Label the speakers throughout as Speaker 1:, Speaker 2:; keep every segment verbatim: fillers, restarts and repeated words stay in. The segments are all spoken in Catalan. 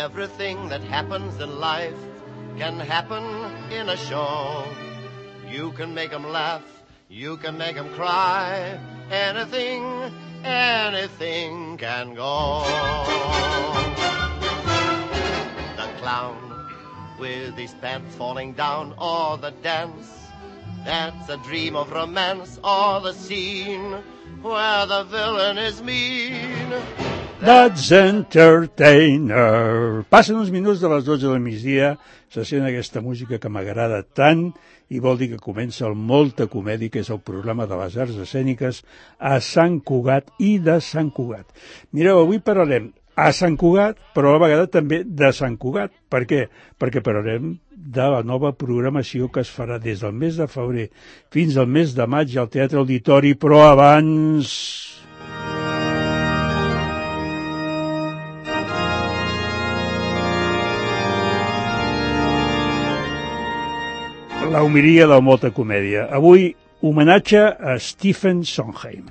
Speaker 1: Everything that happens in life can happen in a show. You can make them laugh, you can make them cry. Anything, anything can go. The clown with his pants falling down, or the dance that's a dream of romance, or the scene where the villain is mean.
Speaker 2: That's Entertainer. Passen uns minuts de les dotze del migdia, se sent aquesta música que m'agrada tant i vol dir que comença el Molta Comèdia, que és el programa de les arts escèniques a Sant Cugat i de Sant Cugat. Mireu, avui parlarem a Sant Cugat, però a la vegada també de Sant Cugat. Per què? Perquè parlarem de la nova programació que es farà des del mes de febrer fins al mes de maig al Teatre Auditori, però abans... la homilia del Molta Comèdia. Avui, homenatge a Stephen Sondheim.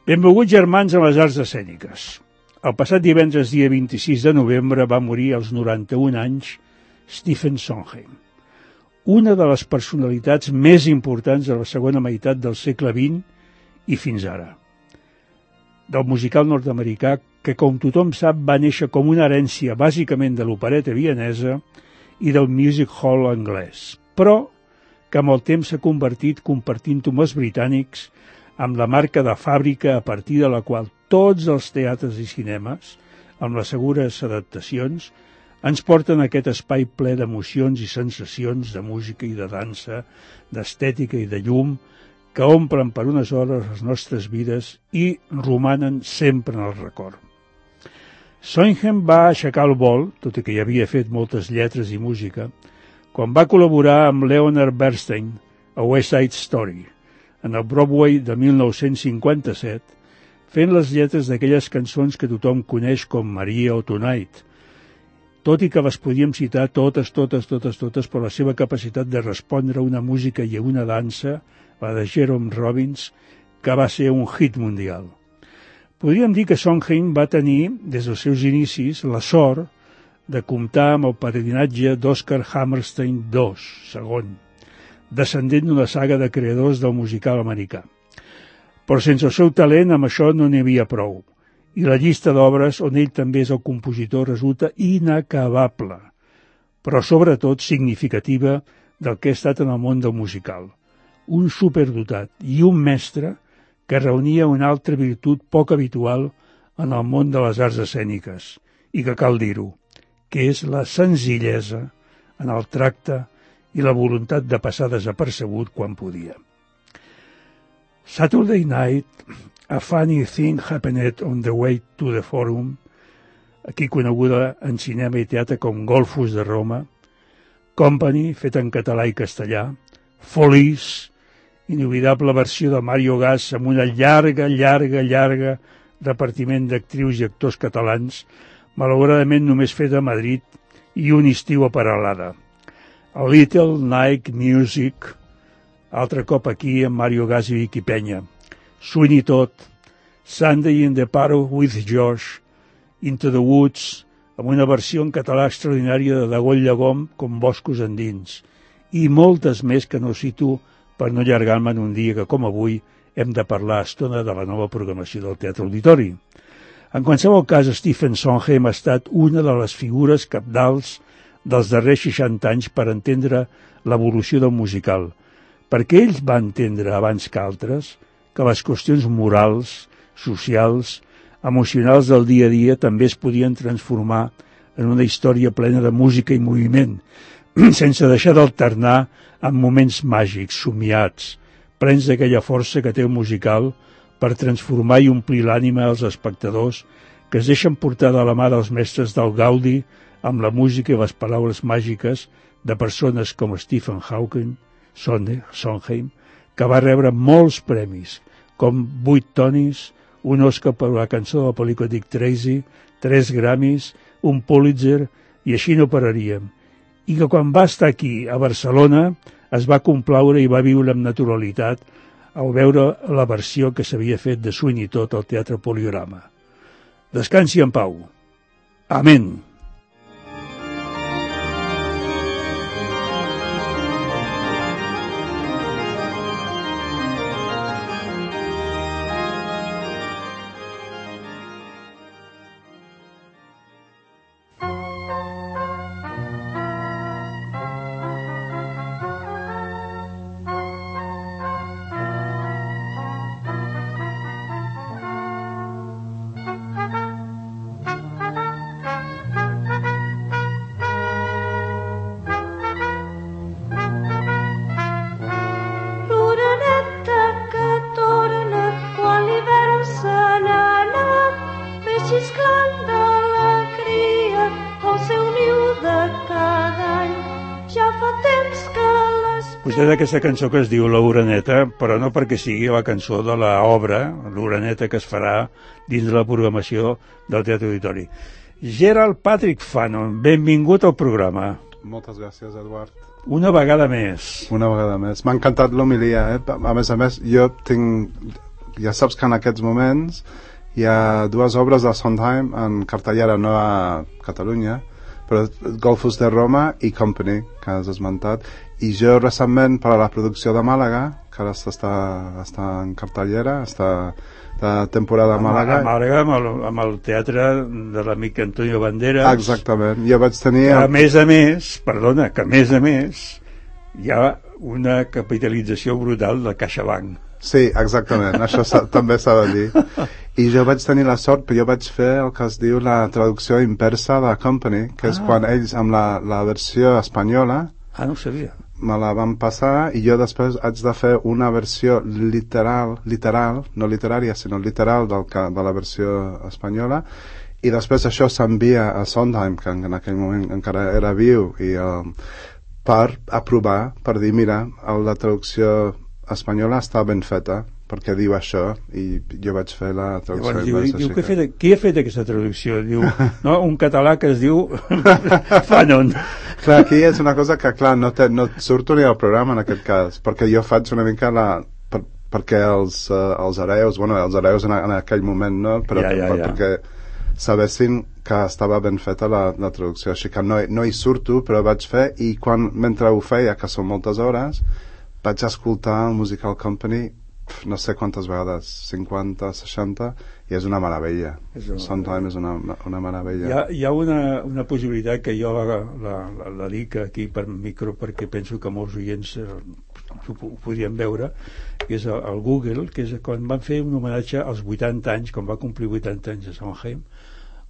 Speaker 2: Benvolguts germans a les arts escèniques. El passat divendres, dia vint-i-sis de novembre, va morir als noranta-un anys Stephen Sondheim, una de les personalitats més importants de la segona meitat del segle vint i fins ara. Del musical nord-americà que, com tothom sap, va néixer com una herència bàsicament de l'opereta vienesa i del music hall anglès, però que amb el temps s'ha convertit, compartint-ho amb els britànics, amb la marca de fàbrica a partir de la qual tots els teatres i cinemes, amb les segures adaptacions, ens porten a aquest espai ple d'emocions i sensacions de música i de dansa, d'estètica i de llum, que omplen per unes hores les nostres vides i romanen sempre en el record. Sondheim va aixecar el vol, tot i que ja havia fet moltes lletres i música, quan va col·laborar amb Leonard Bernstein a West Side Story, en el Broadway de mil nou-cents cinquanta-set, fent les lletres d'aquelles cançons que tothom coneix com Maria o Tonight, tot i que les podíem citar totes, totes, totes, totes per la seva capacitat de respondre a una música i a una dansa, la de Jerome Robbins, que va ser un hit mundial. Podríem dir que Sondheim va tenir, des dels seus inicis, la sort de comptar amb el padrinatge d'Oscar Hammerstein segon, segon, descendent d'una saga de creadors del musical americà. Però sense el seu talent, amb això no n'hi havia prou, i la llista d'obres on ell també és el compositor resulta inacabable, però sobretot significativa del que ha estat en el món del musical. Un superdotat i un mestre que reunia una altra virtut poc habitual en el món de les arts escèniques, i que cal dir-ho, que és la senzillesa en el tracte i la voluntat de passar desapercebut quan podia. Saturday Night, A Funny Thing Happened on the Way to the Forum, aquí coneguda en cinema i teatre com Golfos de Roma, Company, fet en català i castellà, Folies, inoblidable versió de Mario Gas amb una llarga, llarga, llarga repartiment d'actrius i actors catalans, malauradament només feta a Madrid, i un estiu a Peralada. A Little Night Music, altre cop aquí amb Mario Gas i Vicky Penya. Sweeney Todd, Sunday in the Park with Josh, Into the Woods, amb una versió en català extraordinària de Dagoll Llegom com Boscos endins, i moltes més que no cito per no allargar-me en un dia que, com avui, hem de parlar estona de la nova programació del Teatre Auditori. En qualsevol cas, Stephen Sondheim ha estat una de les figures cabdals dels darrers seixanta anys per entendre l'evolució del musical, perquè ell va entendre abans que altres que les qüestions morals, socials, emocionals del dia a dia també es podien transformar en una història plena de música i moviment, sense deixar d'alternar amb moments màgics, somiats, plens d'aquella força que té el musical per transformar i omplir l'ànima als espectadors que es deixen portar de la mà dels mestres del Gaudi amb la música i les paraules màgiques de persones com Stephen Hawking, Sondheim, que va rebre molts premis, com vuit Tonys, un Oscar per la cançó de la pel·lícula Dick Tracy, tres Grammys, un Pulitzer, i així no pararíem. I que quan va estar aquí, a Barcelona, es va complaure i va viure amb naturalitat al veure la versió que s'havia fet de Sweeney Todd al Teatre Poliorama. Descansi en pau. Amén.
Speaker 3: xisclant de la cria al seu niu de cada any. Ja fa temps que les...
Speaker 2: Vostè d'aquesta cançó que es diu L'Oreneta, però no perquè sigui la cançó de l'obra, L'Oreneta, que es farà dins de la programació del Teatre Auditori. Gerald Patrick Fanon, benvingut al programa.
Speaker 4: Moltes gràcies, Eduard.
Speaker 2: Una vegada més.
Speaker 4: Una vegada més. M'ha encantat l'homilia, eh? A més a més, jo tinc... Ja saps que en aquests moments hi ha dues obres de Sondheim en cartellera, no a Catalunya, però Golfos de Roma i Company, que has esmentat. I jo recentment, per a la producció de Màlaga, que ara està, està en cartellera, està de temporada a Màlaga.
Speaker 2: A Màlaga, amb el, amb el teatre de l'amic Antonio Banderas.
Speaker 4: Exactament. Jo vaig tenir...
Speaker 2: A més a més, perdona, que a més a més hi ha una capitalització brutal de CaixaBank.
Speaker 4: Sí, exactament, això també s'ha de dir. I jo vaig tenir la sort, però jo vaig fer el que es diu la traducció inversa de Company, que ah. és quan ells, amb la, la versió espanyola...
Speaker 2: Ah, no ho sabia.
Speaker 4: Me la van passar i jo després haig de fer una versió literal, literal, no literària, sinó literal del que, de la versió espanyola, i després això s'envia a Sondheim, que en, en aquell moment encara era viu, i uh, per aprovar, per dir, mira, la traducció espanyola està ben feta, perquè diu això, i jo vaig fer la traducció.
Speaker 2: Llavors, diu, diu, que fet, qui ha fet aquesta traducció? Diu, no, un català que es diu Fanon.
Speaker 4: Clar, aquí és una cosa que, clar, no, te, no surto ni al programa en aquest cas, perquè jo faig una mica la... Per, perquè els, uh, els hereus, bueno, els hereus en, en aquell moment, no? Però
Speaker 2: ja, ja,
Speaker 4: per,
Speaker 2: ja.
Speaker 4: perquè sabessin que estava ben feta la, la traducció, així que no, no hi surto, però vaig fer, i quan, mentre ho feia, que són moltes hores, vaig escoltar el Musical Company no sé quantes vegades, cinquanta, seixanta, i és una meravella. És una... Sondheim és una, una meravella.
Speaker 2: Hi ha, hi ha una, una possibilitat que jo la, la, la, la dic aquí per micro perquè penso que molts oients eh, ho, ho podrien veure, que és el, el Google, que és quan van fer un homenatge als vuitanta anys, quan va complir vuitanta anys a Sondheim,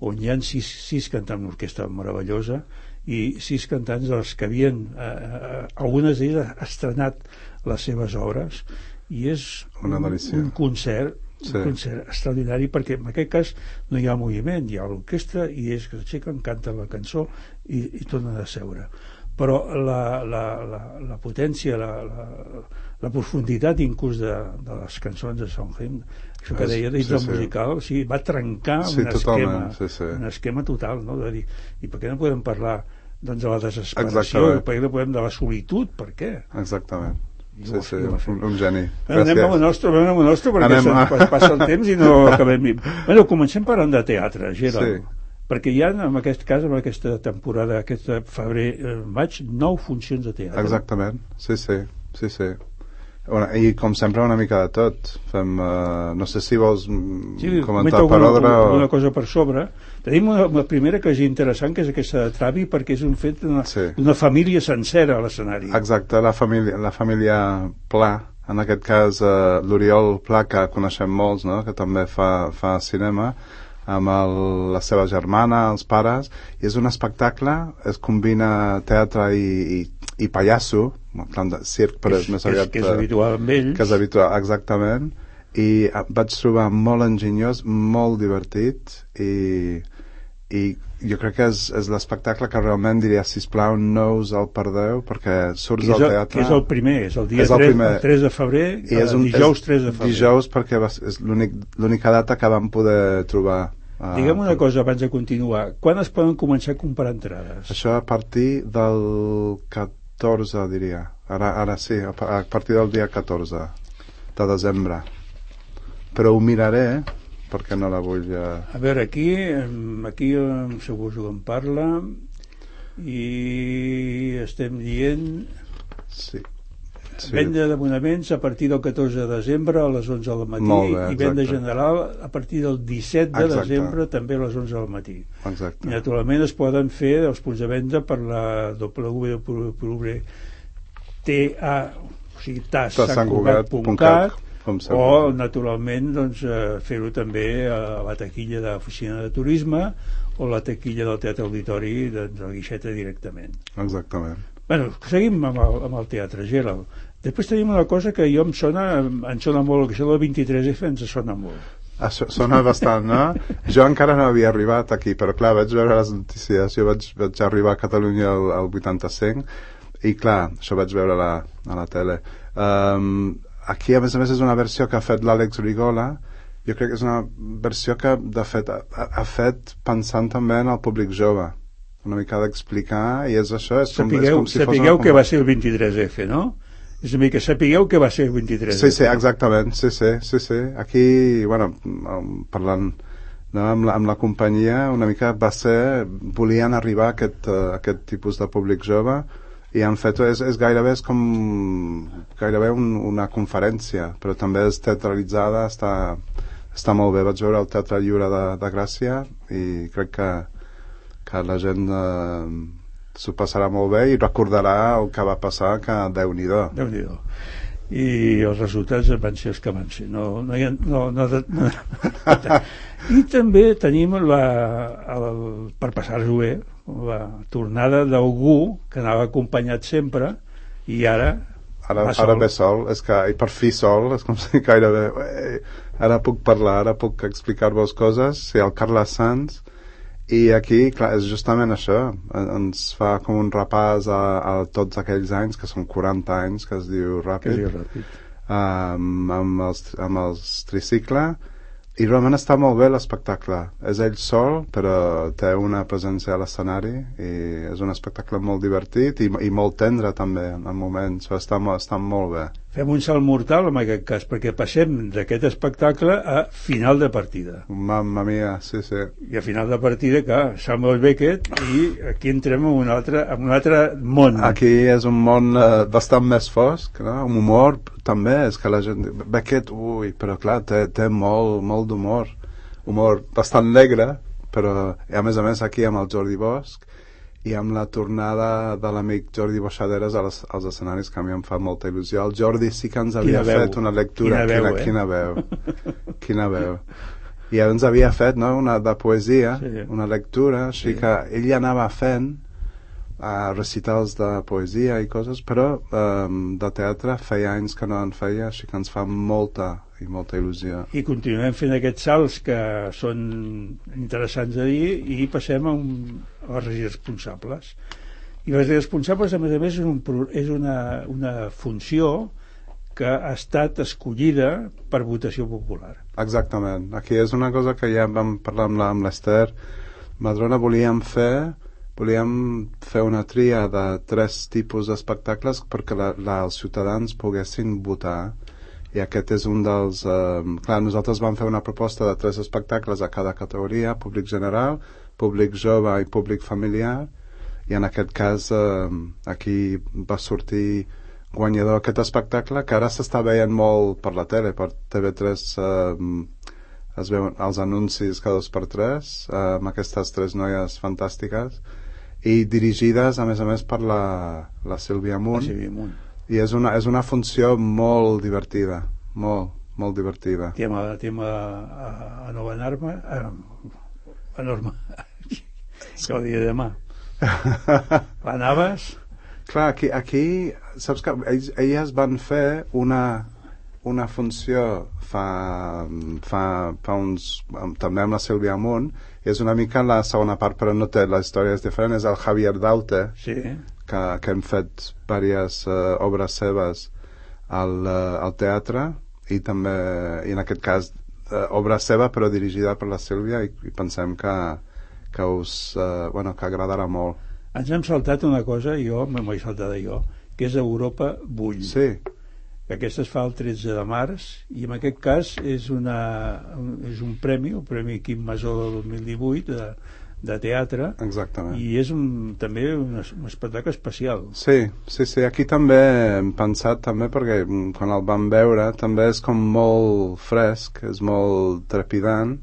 Speaker 2: on hi ha sis, sis cantants, una orquestra meravellosa, i sis cantants dels que havien, eh, eh, algunes d'ells ha estrenat les seves obres, i és un, un concert sí. un concert extraordinari, perquè en aquest cas no hi ha moviment, hi ha l'orquestra i ells que s'aixequen, canten la cançó i, i tornen a seure, però la, la, la, la potència la, la, la profunditat inclús de, de les cançons de Sondheim, això que deia dins sí, del sí. musical, o sigui, va trencar
Speaker 4: sí,
Speaker 2: un, esquema,
Speaker 4: sí, sí.
Speaker 2: un esquema total, no? De dir, i per què no podem parlar doncs, de la desesperació, per què no podem de la solitud, per què?
Speaker 4: Exactament. Sí, sí, un, un geni.
Speaker 2: Anem amb el nostre, anem amb el nostre perquè anem a... passa el temps i no acabem. Bueno, comencem parlant de teatre, Gerald. Sí. Perquè hi ha, en aquest cas, en aquesta temporada, aquest febrer, maig, nou funcions de teatre.
Speaker 4: Exactament, sí, sí, sí, sí. Bueno, i com sempre una mica de tot fem, uh, no sé si vols sí, comentar per ordre
Speaker 2: o... una cosa per sobre. Tenim una, una primera que és interessant, que és aquesta de Travi, perquè és un fet d'una sí. família sencera a l'escenari.
Speaker 4: Exacte, la família, la família Pla, en aquest cas uh, l'Oriol Pla, que coneixem molts, no? Que també fa, fa cinema, amb el, la seva germana, els pares, i és un espectacle, es combina teatre i, i, i pallasso, clan de circ, però és, és més aviat...
Speaker 2: Que és, que és habitual amb ells.
Speaker 4: Que és habitual, exactament, i vaig trobar molt enginyós, molt divertit, i, i jo crec que és, és l'espectacle que realment diria, sisplau, no us el perdeu, perquè surts del teatre...
Speaker 2: Que és el primer, és el dia és el tres, el tres de febrer, i és un, dijous tres de febrer.
Speaker 4: Dijous, perquè va, és l'única data que vam poder trobar.
Speaker 2: Uh, Digue'm una cosa abans de continuar, quan es poden començar a comprar entrades?
Speaker 4: Això a partir del catorze, diria. Ara, ara sí, a partir del dia catorze de desembre. Però ho miraré, perquè no la vull... Uh...
Speaker 2: A veure, aquí, aquí segur que em parla, i estem dient...
Speaker 4: Sí. Sí.
Speaker 2: Venda d'abonaments a partir del catorze de desembre a les onze del matí bé, i venda general a partir del disset de exacte. desembre també a les onze del matí.
Speaker 4: Exacte.
Speaker 2: I naturalment es poden fer els punts de venda per la w w w punt sant cugat punt cat o naturalment doncs, fer-ho també a la taquilla de l'oficina de turisme o la taquilla del Teatre Auditori de, de la guixeta directament.
Speaker 4: Exactament.
Speaker 2: Bueno, seguim amb el, amb el teatre, Gerald. Després tenim una cosa que jo em sona, em sona molt, que això del vint-i-tres efa ens sona molt.
Speaker 4: Això sona bastant, no? Jo encara no havia arribat aquí, però clar, vaig veure les notícies. Jo vaig, vaig arribar a Catalunya al, al vuitanta-cinc i clar, això vaig veure la, a la tele. Um, aquí, a més a més, és una versió que ha fet l'Àlex Rigola. Jo crec que és una versió que, de fet, ha, ha fet pensant també en el públic jove. Una mica d'explicar, i és això, és com,
Speaker 2: sapigueu,
Speaker 4: és com si
Speaker 2: sapigueu
Speaker 4: fos...
Speaker 2: que va ser el vint-i-tres efe, no? És una mica, sapigueu que va ser el vint-i-tres efe.
Speaker 4: Sí, sí, exactament, sí, sí, sí, sí. Aquí, bueno, parlant no, amb, la, amb la companyia, una mica va ser, volien arribar a aquest, uh, aquest tipus de públic jove, i han fet, és, és gairebé és com gairebé un, una conferència, però també és teatralitzada, està, està molt bé. Vaig veure el Teatre Lliure de, de Gràcia i crec que, que la gent uh, s'ho passarà molt bé i recordarà el que va passar, que Déu-n'hi-do.
Speaker 2: Déu-n'hi-do. I els resultats van ser els que van ser. No, no hi ha, no, no, no. I també tenim la, el, per passar-ho bé, la tornada d'algú que anava acompanyat sempre i ara
Speaker 4: ara, ara ve sol, és que, i per fi sol, és com si gairebé eh, ara puc parlar, ara puc explicar-vos coses. Sí, el Carles Sanz. I aquí, clar, és justament això, ens fa com un repàs a, a tots aquells anys, que són quaranta anys, que es diu Ràpid,
Speaker 2: que diu Ràpid.
Speaker 4: Um, amb, els, amb els tricicle, i realment està molt bé l'espectacle. És ell sol, però té una presència a l'escenari, i és un espectacle molt divertit i, i molt tendre també en moments, està, està molt bé.
Speaker 2: Fem un salt mortal en aquest cas, perquè passem d'aquest espectacle a final de partida.
Speaker 4: Mamma mia, sí, sí.
Speaker 2: I a final de partida, clar, Samuel Beckett, i aquí entrem en un altre, en un altre món.
Speaker 4: Aquí és un món uh, bastant més fosc, no? Un humor també, és que la gent... Beckett, ui, però clar, té, té molt, molt d'humor. Humor bastant negre, però a més a més aquí amb el Jordi Bosch i amb la tornada de l'amic Jordi Boixaderes als, als escenaris, que a mi em fa molta il·lusió. El Jordi sí que ens havia fet una lectura.
Speaker 2: Quina veu,
Speaker 4: quina,
Speaker 2: eh?
Speaker 4: quina veu. Quina veu. I ens havia fet, no?, una de poesia, sí. Una lectura, així sí. Que ell anava fent a recitals de poesia i coses, però um, de teatre feia anys que no en feia, així que ens fa molta i molta il·lusió.
Speaker 2: I continuem fent aquests salts que són interessants a dir, i passem a, un, a les responsables. I les responsables, a més a més, és, un, és una, una funció que ha estat escollida per votació popular.
Speaker 4: Exactament. Aquí és una cosa que ja vam parlar amb l'Ester Madrona. Volíem fer volíem fer una tria de tres tipus d'espectacles perquè la, la, els ciutadans poguessin votar, i aquest és un dels... Eh, clar, nosaltres vam fer una proposta de tres espectacles a cada categoria: públic general, públic jove i públic familiar, i en aquest cas eh, aquí va sortir guanyador aquest espectacle, que ara s'està veient molt per la tele, per T V tres eh, es veuen els anuncis cada dos per tres eh, amb aquestes tres noies fantàstiques, i dirigides a més a més per la, la Sílvia Munt.
Speaker 2: La Sílvia Munt.
Speaker 4: I és una, és una funció molt divertida, molt, molt divertida.
Speaker 2: Tema, tema a, a Nova Norma, a, a Norma, que ho dia demà. Anaves?
Speaker 4: Clar, aquí, aquí saps que ells, elles van fer una, una funció fa, fa, fa uns... també amb la Sílvia Munt, i és una mica la segona part, però no té, la història és diferent, és el Javier Daute,
Speaker 2: sí.
Speaker 4: que, que hem fet diverses uh, obres seves al, uh, al teatre, i també, i en aquest cas uh, obra seva però dirigida per la Sílvia, i, i pensem que, que us uh, bueno, que agradarà molt.
Speaker 2: Ens hem saltat una cosa, jo m'ho he saltat jo, que és Europa Bull.
Speaker 4: Sí.
Speaker 2: Que aquesta es fa el tretze de març, i en aquest cas és, una, és un premi, el Premi Quim Masó del dos mil divuit de, de teatre.
Speaker 4: Exactament.
Speaker 2: I és un, també un, un espectacle especial.
Speaker 4: Sí, sí, sí, aquí també hem pensat també, perquè quan el vam veure també és com molt fresc, és molt trepidant.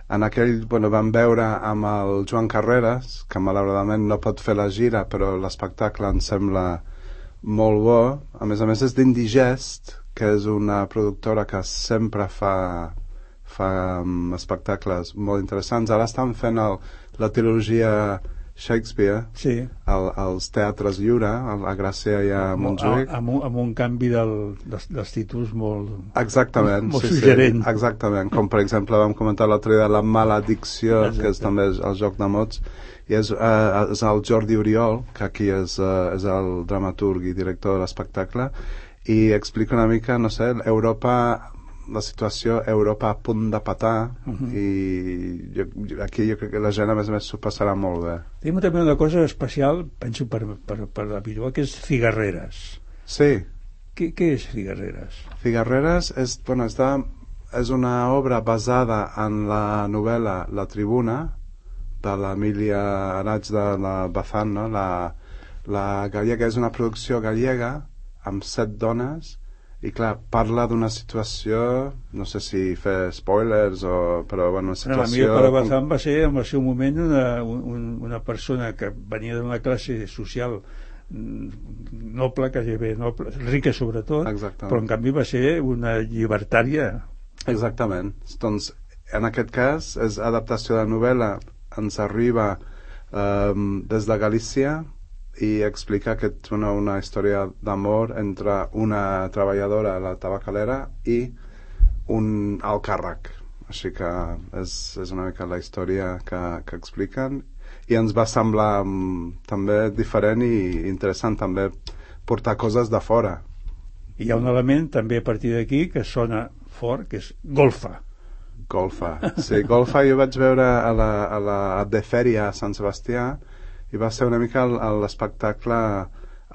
Speaker 4: En aquell, bueno, vam veure amb el Joan Carreras, que malauradament no pot fer la gira, però l'espectacle em sembla molt bo. A més a més és d'Indigest, que és una productora que sempre fa, fa um, espectacles molt interessants. Ara estan fent el, la trilogia Shakespeare,
Speaker 2: sí.
Speaker 4: al, als teatres lliure, a Gràcia i a Montjuïc.
Speaker 2: Amb, amb, amb un canvi del, dels, dels títols molt,
Speaker 4: exactament,
Speaker 2: molt
Speaker 4: sí,
Speaker 2: suggerent.
Speaker 4: Sí, exactament, com per exemple vam comentar l'altre dia La maledicció, exacte. Que és també el joc de mots, i és, uh, és el Jordi Oriol, que aquí és, uh, és el dramaturg i director de l'espectacle, i explica una mica, no sé, Europa, la situació Europa a punt de petar, uh-huh. i jo, aquí jo crec que la gent a més a més s'ho passarà molt bé.
Speaker 2: Tenim també una cosa especial, penso per, per, per habitual, que és Figarreres.
Speaker 4: Sí.
Speaker 2: Què, què és Figarreres?
Speaker 4: Figarreres és, bueno, és, de, és una obra basada en la novel·la La Tribuna, de l'Emília Araig de la Bazán, no? la, la gallega. És una producció gallega amb set dones, i clar, parla d'una situació, no sé si fer spoilers o, però bueno, una situació...
Speaker 2: No, la meva Bazán va ser en el seu moment una, un, una persona que venia d'una classe social noble, quasi bé noble, rica sobretot.
Speaker 4: Exactament.
Speaker 2: Però en canvi va ser una llibertària.
Speaker 4: Exactament. Doncs en aquest cas és adaptació de novel·la, ens arriba eh, des de Galícia, i explica que és una, una història d'amor entre una treballadora a la tabacalera i un alt càrrec. Així que és, és una mica la història que, que expliquen, i ens va semblar um, també diferent i interessant també portar coses de fora.
Speaker 2: Hi ha un element també a partir d'aquí que sona fort, que és golfa.
Speaker 4: Golfa, sí, golfa jo vaig veure a la, a la de Fèria a Sant Sebastià, i va ser una mica l'espectacle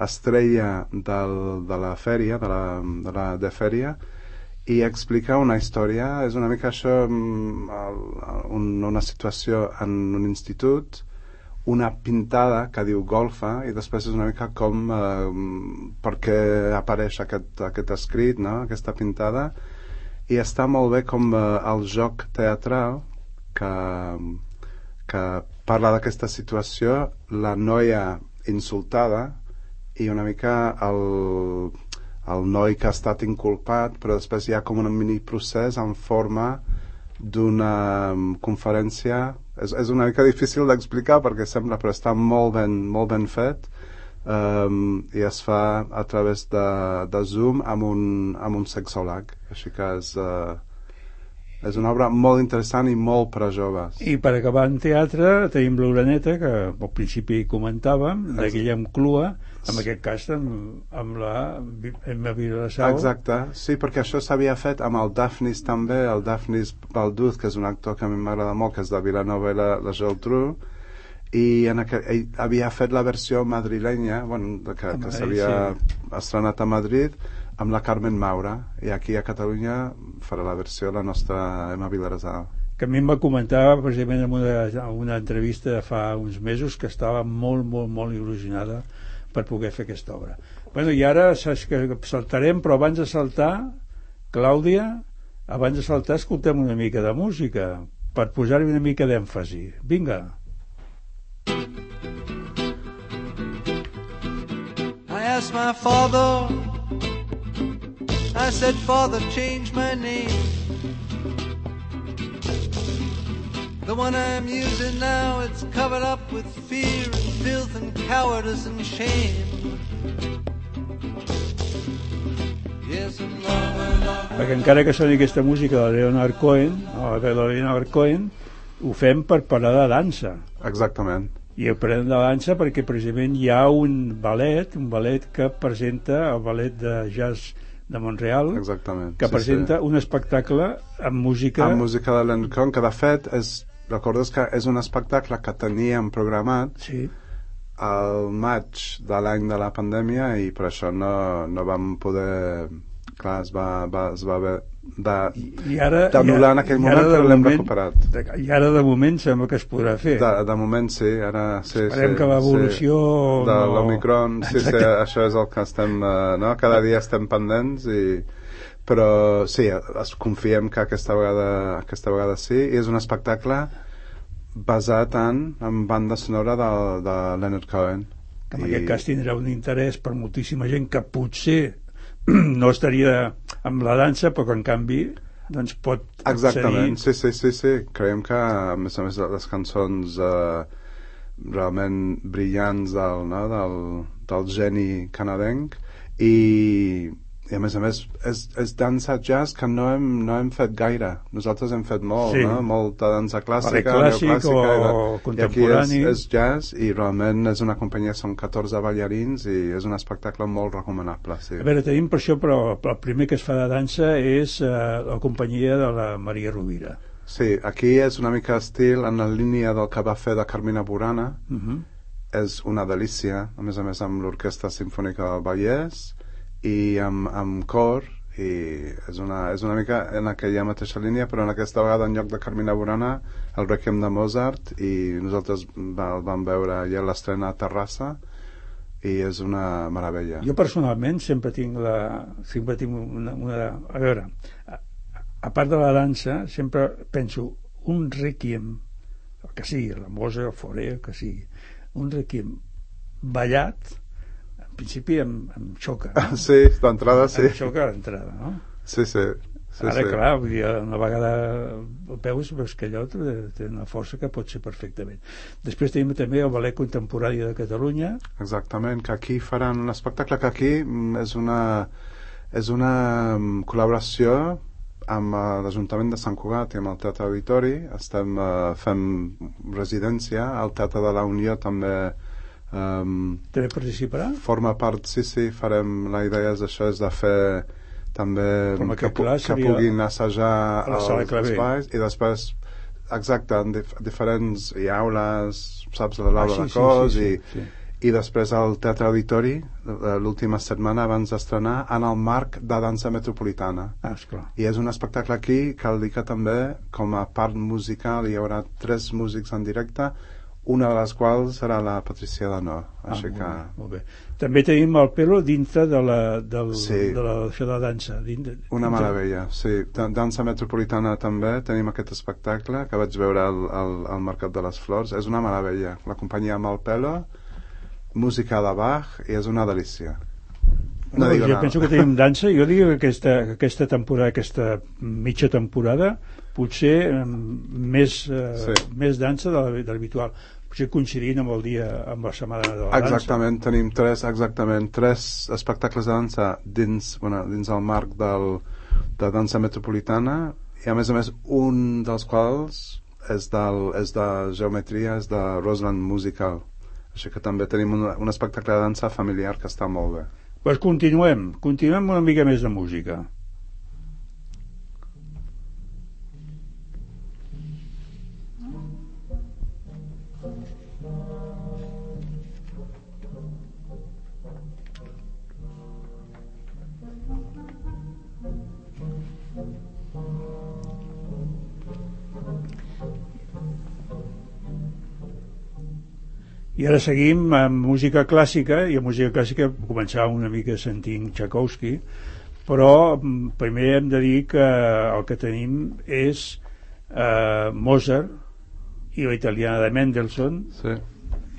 Speaker 4: estrella del, de la fèria, de la, de la de Fèria, i explica una història, és una mica això, un, una situació en un institut, una pintada que diu golfa, i després és una mica com eh, per què apareix aquest, aquest escrit, no? Aquesta pintada, i està molt bé com eh, el joc teatral que, que parla d'aquesta situació, la noia insultada i una mica el, el noi que ha estat inculpat, però després hi ha com un mini procés en forma d'una conferència. És, és una mica difícil d'explicar perquè sembla, però està molt ben, molt ben fet, um, i es fa a través de, de Zoom amb un, amb un sexòleg, així que és... Uh, és una obra molt interessant i molt per a joves.
Speaker 2: I per acabar en teatre tenim l'Uraneta, que al principi comentàvem, de Guillem Clua, en aquest cas amb, amb la Emma Vilassau.
Speaker 4: Exacte, sí, perquè això s'havia fet amb el Dafnis també, el Dafnis Balduz, que és un actor que a mi m'agrada molt, que és de Vilanova i la, la Geltrú, i en aquel, ell havia fet la versió madrilenya, bueno, que, que s'havia sí. estrenat a Madrid, amb la Carmen Maura, i aquí a Catalunya farà la versió de la nostra Emma Vilassau.
Speaker 2: Que a mi em va comentar precisament en una, en una entrevista de fa uns mesos que estava molt, molt, molt il·lusionada per poder fer aquesta obra. Bueno, i ara saps que saltarem, però abans de saltar, Clàudia, abans de saltar escoltem una mica de música per posar-hi una mica d'èmfasi. Vinga.
Speaker 5: I asked my father, I said, Father, change my name. The one I'm using now, it's covered up with fear and filth and cowardice and shame. Yes, and love, love.
Speaker 2: Perquè encara que soni aquesta música de Leonard Cohen, o de Leonard Cohen, ho fem per parlar de dansa.
Speaker 4: Exactament.
Speaker 2: I ho parlem de dansa perquè precisament hi ha un ballet, un ballet que presenta el ballet de jazz de Montreal.
Speaker 4: Exactament.
Speaker 2: Que
Speaker 4: sí,
Speaker 2: presenta
Speaker 4: sí.
Speaker 2: un espectacle amb música...
Speaker 4: Amb música de Leonard Cohen, que de fet és, recordes que és un espectacle que teníem programat
Speaker 2: sí.
Speaker 4: al maig de l'any de la pandèmia, i per això no, no vam poder... Clar, es va, va, es va haver d'anul·lar en aquell moment, però l'hem recuperat.
Speaker 2: I ara de moment sembla que es podrà fer.
Speaker 4: De, de moment sí, ara sí.
Speaker 2: Esperem
Speaker 4: sí,
Speaker 2: que l'evolució...
Speaker 4: Sí. De
Speaker 2: no...
Speaker 4: l'Omicron, sí, sí, això és el que estem... Uh, no? Cada dia estem pendents, i... però sí, es confiem que aquesta vegada, aquesta vegada sí, i és un espectacle basat en, en banda sonora de, de Leonard Cohen.
Speaker 2: Que en I... aquest cas tindrà un interès per moltíssima gent que potser no estaria amb la dansa, però que en canvi doncs pot
Speaker 4: exactament,
Speaker 2: accedir...
Speaker 4: sí, sí, sí, sí. Creiem que a més a més les cançons eh, realment brillants del, no? del, del geni canadenc, i, i a més a més és, és dansa jazz que no hem, no hem fet gaire. Nosaltres hem fet molt,
Speaker 2: sí.
Speaker 4: no? Molta dansa clàssica,
Speaker 2: clàssic
Speaker 4: neoclàssica,
Speaker 2: o
Speaker 4: i,
Speaker 2: contemporani.
Speaker 4: I aquí és, és jazz, i realment és una companyia, són catorze ballarins, i és un espectacle molt recomanable. Sí.
Speaker 2: A veure, tenim per això, però el primer que es fa de dansa és eh, la companyia de la Maria Rovira.
Speaker 4: Sí, aquí és una mica estil en la línia del que va fer de Carmina Burana.
Speaker 2: Uh-huh.
Speaker 4: És una delícia, a més a més amb l'Orquestra Simfònica del Vallès i amb, amb cor, i és una, és una mica en aquella mateixa línia, però en aquesta vegada en lloc de Carmina Burana el Requiem de Mozart, i nosaltres va, el vam veure ja l'estrena a Terrassa, i és una meravella.
Speaker 2: Jo personalment sempre tinc la sempre tinc una, una a veure, a, a part de la dansa sempre penso un requiem, el que sigui, la Mozart, el Fauré, el que sigui, un requiem ballat, en principi em, em xoca, no?
Speaker 4: Sí, d'entrada sí.
Speaker 2: Em xoca l'entrada, no?
Speaker 4: Sí, sí. Sí,
Speaker 2: Ara,
Speaker 4: sí.
Speaker 2: clar, vull dir, una vegada el veus, veus que allò té, té una força que pot ser perfectament. Després tenim també el Ballet Contemporani de Catalunya.
Speaker 4: Exactament, que aquí faran un espectacle que aquí és una, és una col·laboració amb l'Ajuntament de Sant Cugat i amb el Teatre Auditori. Estem uh, fent residència, el Teatre de la Unió també um,
Speaker 2: també participarà?
Speaker 4: Forma part, sí, sí, farem, la idea és això, és de fer també que, que, que puguin assajar els espais, i després exacte, en dif diferents i aules, saps, de l'aula
Speaker 2: ah, sí,
Speaker 4: de cos,
Speaker 2: sí, sí,
Speaker 4: i,
Speaker 2: sí.
Speaker 4: i després al Teatre Auditori l'última setmana abans d'estrenar en el marc de dansa metropolitana.
Speaker 2: Ah, esclar.
Speaker 4: I és un espectacle aquí, cal dir que també com a part musical hi haurà tres músics en directe, una de les quals serà la Patricia Danó.
Speaker 2: Ah,
Speaker 4: Així
Speaker 2: molt
Speaker 4: que...
Speaker 2: bé, molt bé. També tenim el pelo dintre de la, del,
Speaker 4: sí.
Speaker 2: de la, de la dansa. Dintre,
Speaker 4: una
Speaker 2: dintre...
Speaker 4: meravella, sí. Dansa metropolitana també, tenim aquest espectacle que vaig veure al, al, al Mercat de les Flors. És una meravella. La companyia amb el pelo, música de Bach, i és una delícia. No,
Speaker 2: no,
Speaker 4: digo
Speaker 2: jo
Speaker 4: nada.
Speaker 2: penso que tenim dansa. Jo dic que aquesta, aquesta temporada, aquesta mitja temporada, potser més, eh,
Speaker 4: sí.
Speaker 2: més dansa de l'habitual. Potser coincidint amb el dia, amb la setmana de la dansa.
Speaker 4: Exactament, tenim tres, exactament, tres espectacles de dansa dins, bueno, dins el marc del, de dansa metropolitana, i a més a més un dels quals és, del, és de geometria, és de Roseland Musical. Així que també tenim un, un espectacle de dansa familiar que està molt bé.
Speaker 2: Pues continuem, continuem una mica més de música. I ara seguim amb música clàssica, i a música clàssica començàvem una mica sentint Tchaikovsky, però primer hem de dir que el que tenim és eh, Mozart i la italiana de Mendelssohn,
Speaker 4: sí.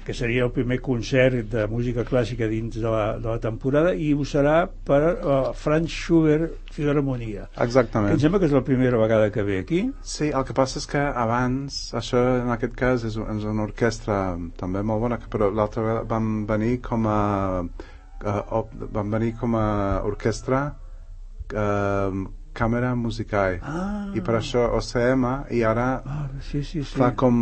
Speaker 2: que seria el primer concert de música clàssica dins de la, de la temporada, i ho serà per uh, Franz Schubert Filharmonia.
Speaker 4: Exactament.
Speaker 2: Que em sembla que és la primera vegada que ve aquí.
Speaker 4: Sí, el que passa és que abans, això en aquest cas és, és una orquestra també molt bona, però l'altra vegada van venir com a uh, van venir com a orquestra uh, Càmera Musicae,
Speaker 2: ah.
Speaker 4: i per això O C M, i ara
Speaker 2: ah, sí, sí, sí.
Speaker 4: fa com,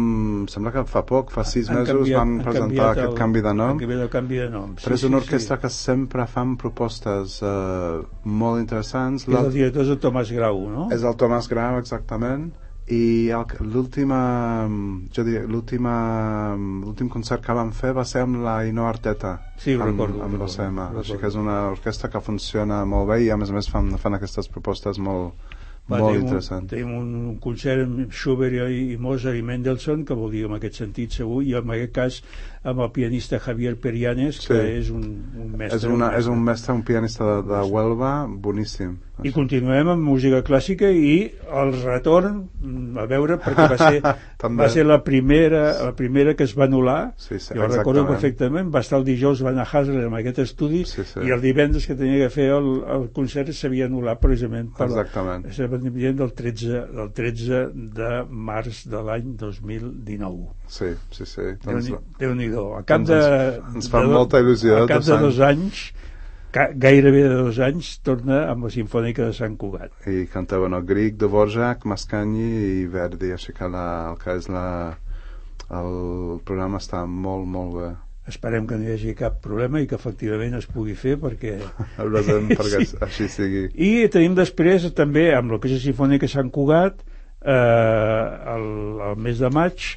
Speaker 4: sembla que fa poc, fa sis
Speaker 2: han
Speaker 4: mesos
Speaker 2: canviat,
Speaker 4: van presentar aquest
Speaker 2: el,
Speaker 4: canvi de nom,
Speaker 2: el canvi de nom. Sí,
Speaker 4: però és una
Speaker 2: sí,
Speaker 4: orquestra
Speaker 2: sí.
Speaker 4: que sempre fan propostes uh, molt interessants.
Speaker 2: És el director és el Tomàs Grau, no?
Speaker 4: És el Tomàs Grau, exactament, i l'última jo diria, l'última l'últim concert que van fer va ser amb la Ainhoa Arteta,
Speaker 2: sí,
Speaker 4: amb,
Speaker 2: recordo,
Speaker 4: amb l'O C M,
Speaker 2: recordo.
Speaker 4: Així que és una orquestra que funciona molt bé, i a més a més fan, fan aquestes propostes molt,
Speaker 2: Va,
Speaker 4: molt
Speaker 2: tenim
Speaker 4: interessants.
Speaker 2: Un, tenim un concert amb Schubert i, i Mozart i Mendelssohn, que vol dir en aquest sentit segur, i en aquest cas amb el pianista Javier Perianes, que
Speaker 4: sí.
Speaker 2: és un, un mestre.
Speaker 4: És, una, un mestre. és un mestre, un pianista de, de Huelva, boníssim.
Speaker 2: I continuem amb música clàssica i el retorn, a veure, perquè va ser, va ser la primera la primera que es va anul·lar.
Speaker 4: Sí, sí,
Speaker 2: jo recordo perfectament, va estar el dijous Van a Hasler en aquest estudi,
Speaker 4: sí, sí.
Speaker 2: i el divendres que tenia que fer el, el concert s'havia anul·lat precisament per
Speaker 4: exactament.
Speaker 2: La, del, tretze, del tretze de març de l'any dos mil dinou.
Speaker 4: Sí, sí, sí. Doncs,
Speaker 2: Déu-n'hi-do. A cap de,
Speaker 4: ens, ens fa
Speaker 2: de,
Speaker 4: molta il·lusió.
Speaker 2: A cap de dos anys gairebé de dos anys torna amb la Simfònica de Sant Cugat
Speaker 4: i cantaven el Grieg, Dvorak, Mascagni i Verdi, així que la, el que és la el programa està molt, molt bé.
Speaker 2: Esperem que no hi hagi cap problema i que efectivament es pugui fer perquè,
Speaker 4: perquè
Speaker 2: sí.
Speaker 4: Així sigui.
Speaker 2: I tenim després també amb el que és la Simfònica de Sant Cugat eh, el, el mes de maig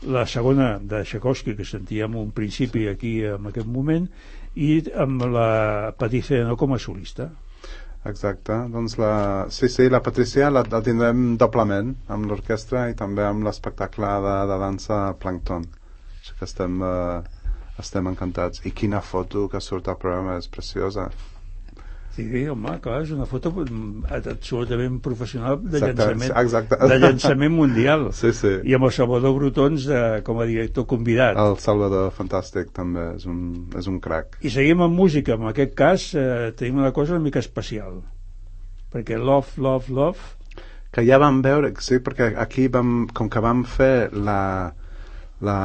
Speaker 2: la segona de Tchaikovsky que sentíem un principi aquí en aquest moment i amb la Patricia com a solista.
Speaker 4: Exacte, doncs la... sí, sí, la Patricia la, la tindrem doblement amb l'orquestra i també amb l'espectacle de, de dansa Plankton, així que estem, eh, estem encantats. I quina foto que surt al programa, és preciosa.
Speaker 2: Sí, home, clar, és una foto absolutament professional de
Speaker 4: exacte,
Speaker 2: llançament
Speaker 4: exacte.
Speaker 2: de llançament mundial.
Speaker 4: Sí, sí.
Speaker 2: I amb el Salvador Brutons de, com a director convidat.
Speaker 4: El Salvador, fantàstic, també, és un, és un crac.
Speaker 2: I seguim amb música, en aquest cas eh, tenim una cosa una mica especial, perquè Love, Love, Love...
Speaker 4: Que ja vam veure, sí, perquè aquí vam, com que vam fer la... la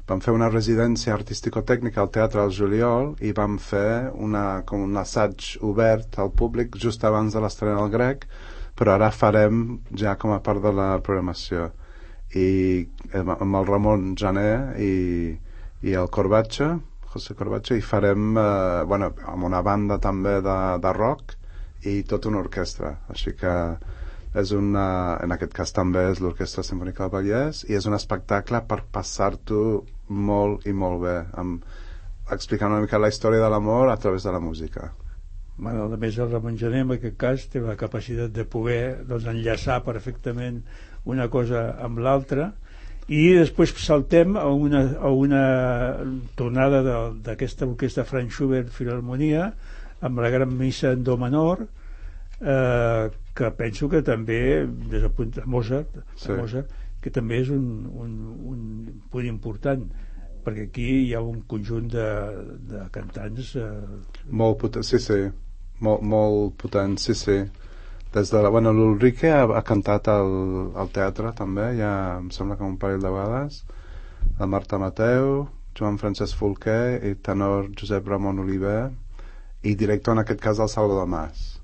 Speaker 4: vam fer una residència artístico-tècnica al teatre al juliol i vam fer una, com un assaig obert al públic just abans de l'estrena del Grec, però ara farem ja com a part de la programació i amb el Ramon Jané i, i el Corbacho, José Corbacho, i farem eh, bueno, amb una banda també de, de rock i tota una orquestra, així que és una, en aquest cas també és l'Orquestra Simfònica del Vallès i és un espectacle per passar-t'ho molt i molt bé amb, explicant una mica la història de l'amor a través de la música.
Speaker 2: Bueno, a més el Ramon Jané en aquest cas té la capacitat de poder doncs, enllaçar perfectament una cosa amb l'altra i després saltem a una, a una tornada d'aquesta orquestra Franz Schubert Filharmonia amb la gran missa en do menor eh, que penso que també des del punt de Mozart, sí. de Mozart que també és un, un, un punt important perquè aquí hi ha un conjunt de, de cantants eh...
Speaker 4: molt potent, sí, sí molt, molt potent, sí, sí des de la, bueno, l'Ulrike ha, ha cantat al, al teatre també, ja em sembla que un parell de vegades la Marta Mateu, Joan Francesc Folquer i tenor Josep Ramon Oliver i director en aquest cas el Salvador Mas.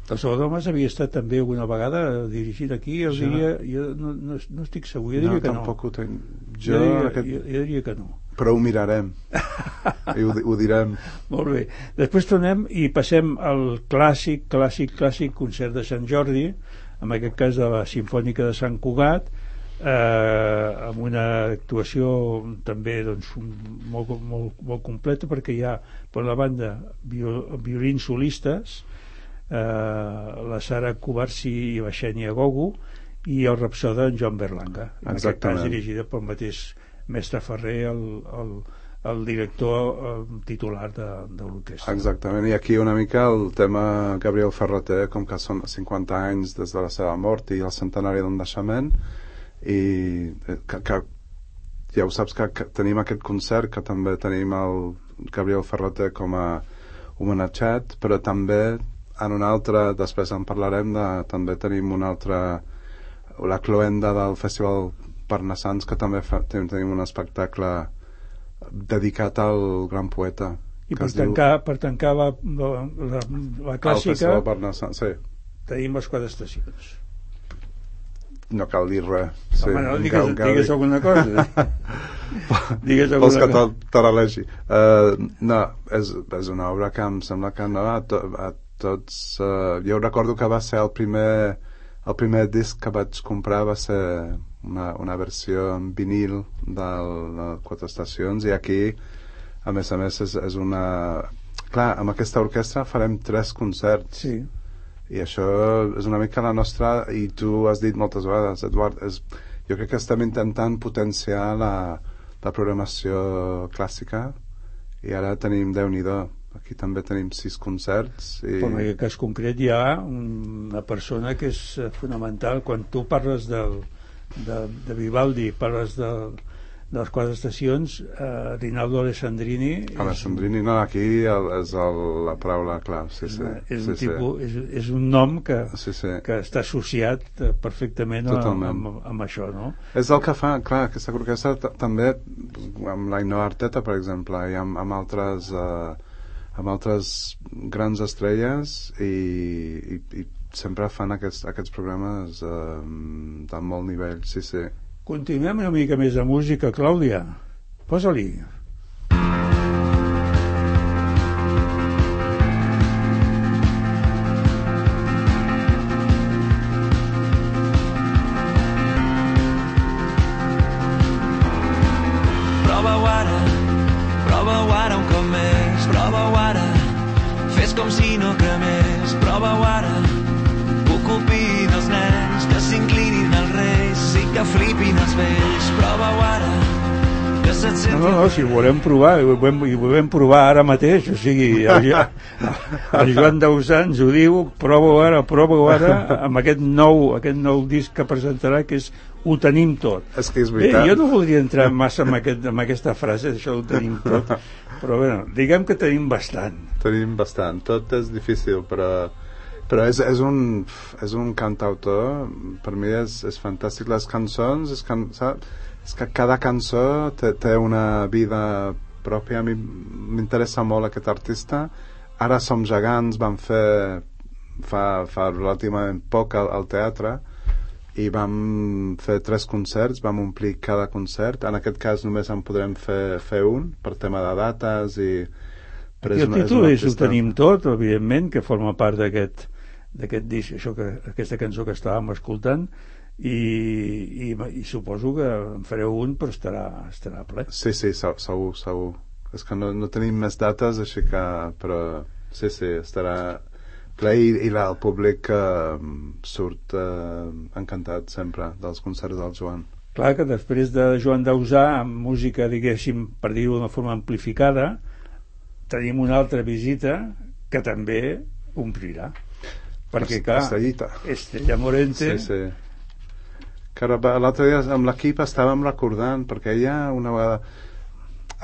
Speaker 2: El Salvador Mas havia estat també alguna vegada dirigit aquí, jo,
Speaker 4: jo,
Speaker 2: diria, jo no, no, no estic segur, jo diria
Speaker 4: no,
Speaker 2: que no.
Speaker 4: Ho ten...
Speaker 2: jo,
Speaker 4: jo,
Speaker 2: diria,
Speaker 4: aquest...
Speaker 2: jo, jo diria que no.
Speaker 4: Però ho mirarem i ho, ho direm.
Speaker 2: Molt bé. Després tornem i passem al clàssic, clàssic, clàssic concert de Sant Jordi, en aquest cas de la Simfònica de Sant Cugat, eh, amb una actuació també doncs, molt, molt, molt completa perquè hi ha per la banda violins solistes, Eh, la Sara Kubarsi i la Xènia Gogu i el rapsoda en Joan Berlanga, en aquest cas dirigida pel mateix mestre Ferrer, el, el, el director el titular de, de l'orquestra.
Speaker 4: Exactament, i aquí una mica el tema Gabriel Ferrater, com que són cinquanta anys des de la seva mort i el centenari del naixement i que, que ja ho saps que, que tenim aquest concert que també tenim el Gabriel Ferrater com a homenatjat, però també en un altre, després en parlarem de, també tenim una altra la cloenda del Festival Parnassans que també fa, tenim un espectacle dedicat al gran poeta
Speaker 2: i per tancar, diu... per tancar la, la, la, la clàssica
Speaker 4: sí.
Speaker 2: tenim les quatre estacions.
Speaker 4: No cal dir res, sí.
Speaker 2: Home, no, digues, cal, cal digues dir. alguna cosa digues alguna
Speaker 4: vols que te, te l'elegi uh, no, és, és una obra que em sembla que no a, to, a tots, uh, jo recordo que va ser el primer el primer disc que vaig comprar va ser una, una versió en vinil del, de quatre estacions i aquí a més a més és, és una clar, amb aquesta orquestra farem tres concerts
Speaker 2: sí.
Speaker 4: i això és una mica la nostra i tu has dit moltes vegades Eduard, és, jo crec que estem intentant potenciar la, la programació clàssica i ara tenim Déu-n'hi-do aquí també tenim sis concerts i...
Speaker 2: Però en aquest cas concret hi ha una persona que és fonamental. Quan tu parles del, de, de Vivaldi, parles del, de les quatre estacions, eh, Rinaldo Alessandrini és,
Speaker 4: Alessandrini, no, aquí el, és el, la paraula clau, sí, sí,
Speaker 2: és,
Speaker 4: sí,
Speaker 2: un
Speaker 4: sí.
Speaker 2: tipus, és, és un nom que,
Speaker 4: Sí, sí.
Speaker 2: que està associat perfectament a, amb, amb això, no?
Speaker 4: És el que fa, clar, aquesta orquestra t- també amb l'Ainhoa Arteta, per exemple, i amb, amb altres eh, amb altres grans estrelles i, i, i sempre fan aquests, aquests programes eh, de molt nivell, sí, sí.
Speaker 2: Continuem una mica més de música, Clàudia. Posa-li.
Speaker 6: Prova-ho ara, prova-ho ara un cop més, prova-ho ara, fes com si no cremés, prova-ho ara, ocupi dels nens, que s'inclinin als reis, sí que flipin els vells, prova-ho ara, que se't
Speaker 2: No,
Speaker 6: senti...
Speaker 2: no, no, si ho volem provar, i ho volem, i ho volem provar ara mateix, o sigui, el, el Joan Dausà ens ho diu, prova-ho ara, prova-ho ara, amb aquest nou, aquest nou disc que presentarà, que és Ho tenim tot.
Speaker 4: És que és
Speaker 2: Bé,
Speaker 4: veritat.
Speaker 2: jo no voldria entrar massa en, aquest, en aquesta frase, això ho tenim tot, però bé, diguem que tenim bastant.
Speaker 4: Tenim bastant, tot és difícil, però, però és, és, un, és un cantautor, per mi és, és fantàstic. Les cançons, és, can, saps? És que cada cançó té, té una vida pròpia. A mi m'interessa molt aquest artista. Ara Som gegants, vam fer fa, fa relativament poc al, al teatre, i vam fer tres concerts, vam omplir cada concert. En aquest cas només en podrem fer, fer un per tema de dates i...
Speaker 2: Però I el títol és, és Ho tenim tot, evidentment, que forma part d'aquest d'aquest disc, això que, aquesta cançó que estàvem escoltant, i, i, i suposo que en fareu un, però estarà, estarà ple.
Speaker 4: Sí, sí, segur, segur. És que no, no tenim més dates, així que... Però sí, sí, estarà ple i, i la, el públic eh, surt eh, encantat sempre dels concerts del Joan.
Speaker 2: Clar que després de Joan Dausà, amb música, diguéssim, per dir-ho d'una forma amplificada, tenim una altra visita que també omplirà. Perquè, clar,
Speaker 4: Estrellita.
Speaker 2: Estrella Morente...
Speaker 4: Sí, sí. Que l'altre dia amb l'equip estàvem recordant, perquè ella una vegada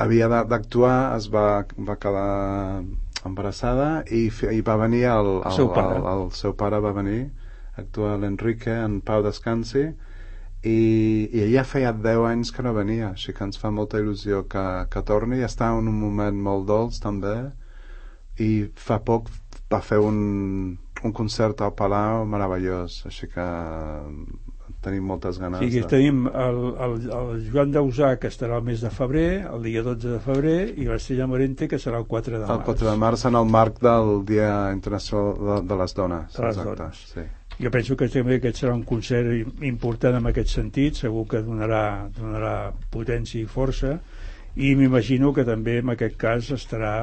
Speaker 4: havia d'actuar, es va, va quedar embarassada i, i va venir el, el,
Speaker 2: el, seu pare.
Speaker 4: el, el seu pare va venir a actuar, l'Enrique, en Pau Descansi, i, i ella feia deu anys que no venia, així que ens fa molta il·lusió que, que torni. Està en un moment molt dolç també, i fa poc va fer un, un concert al Palau meravellós, així que tenim moltes ganes.
Speaker 2: Sí, que
Speaker 4: de...
Speaker 2: tenim el, el, el Joan Dausà, que estarà el mes de febrer, el dia dotze de febrer, i l'Estrella Morente, que serà el quatre de març.
Speaker 4: El quatre de març, en el marc del Dia Internacional de, de les Dones.
Speaker 2: De les
Speaker 4: exacte,
Speaker 2: dones.
Speaker 4: sí.
Speaker 2: Jo penso que també aquest serà un concert important en aquest sentit, segur que donarà, donarà potència i força, i m'imagino que també en aquest cas estarà,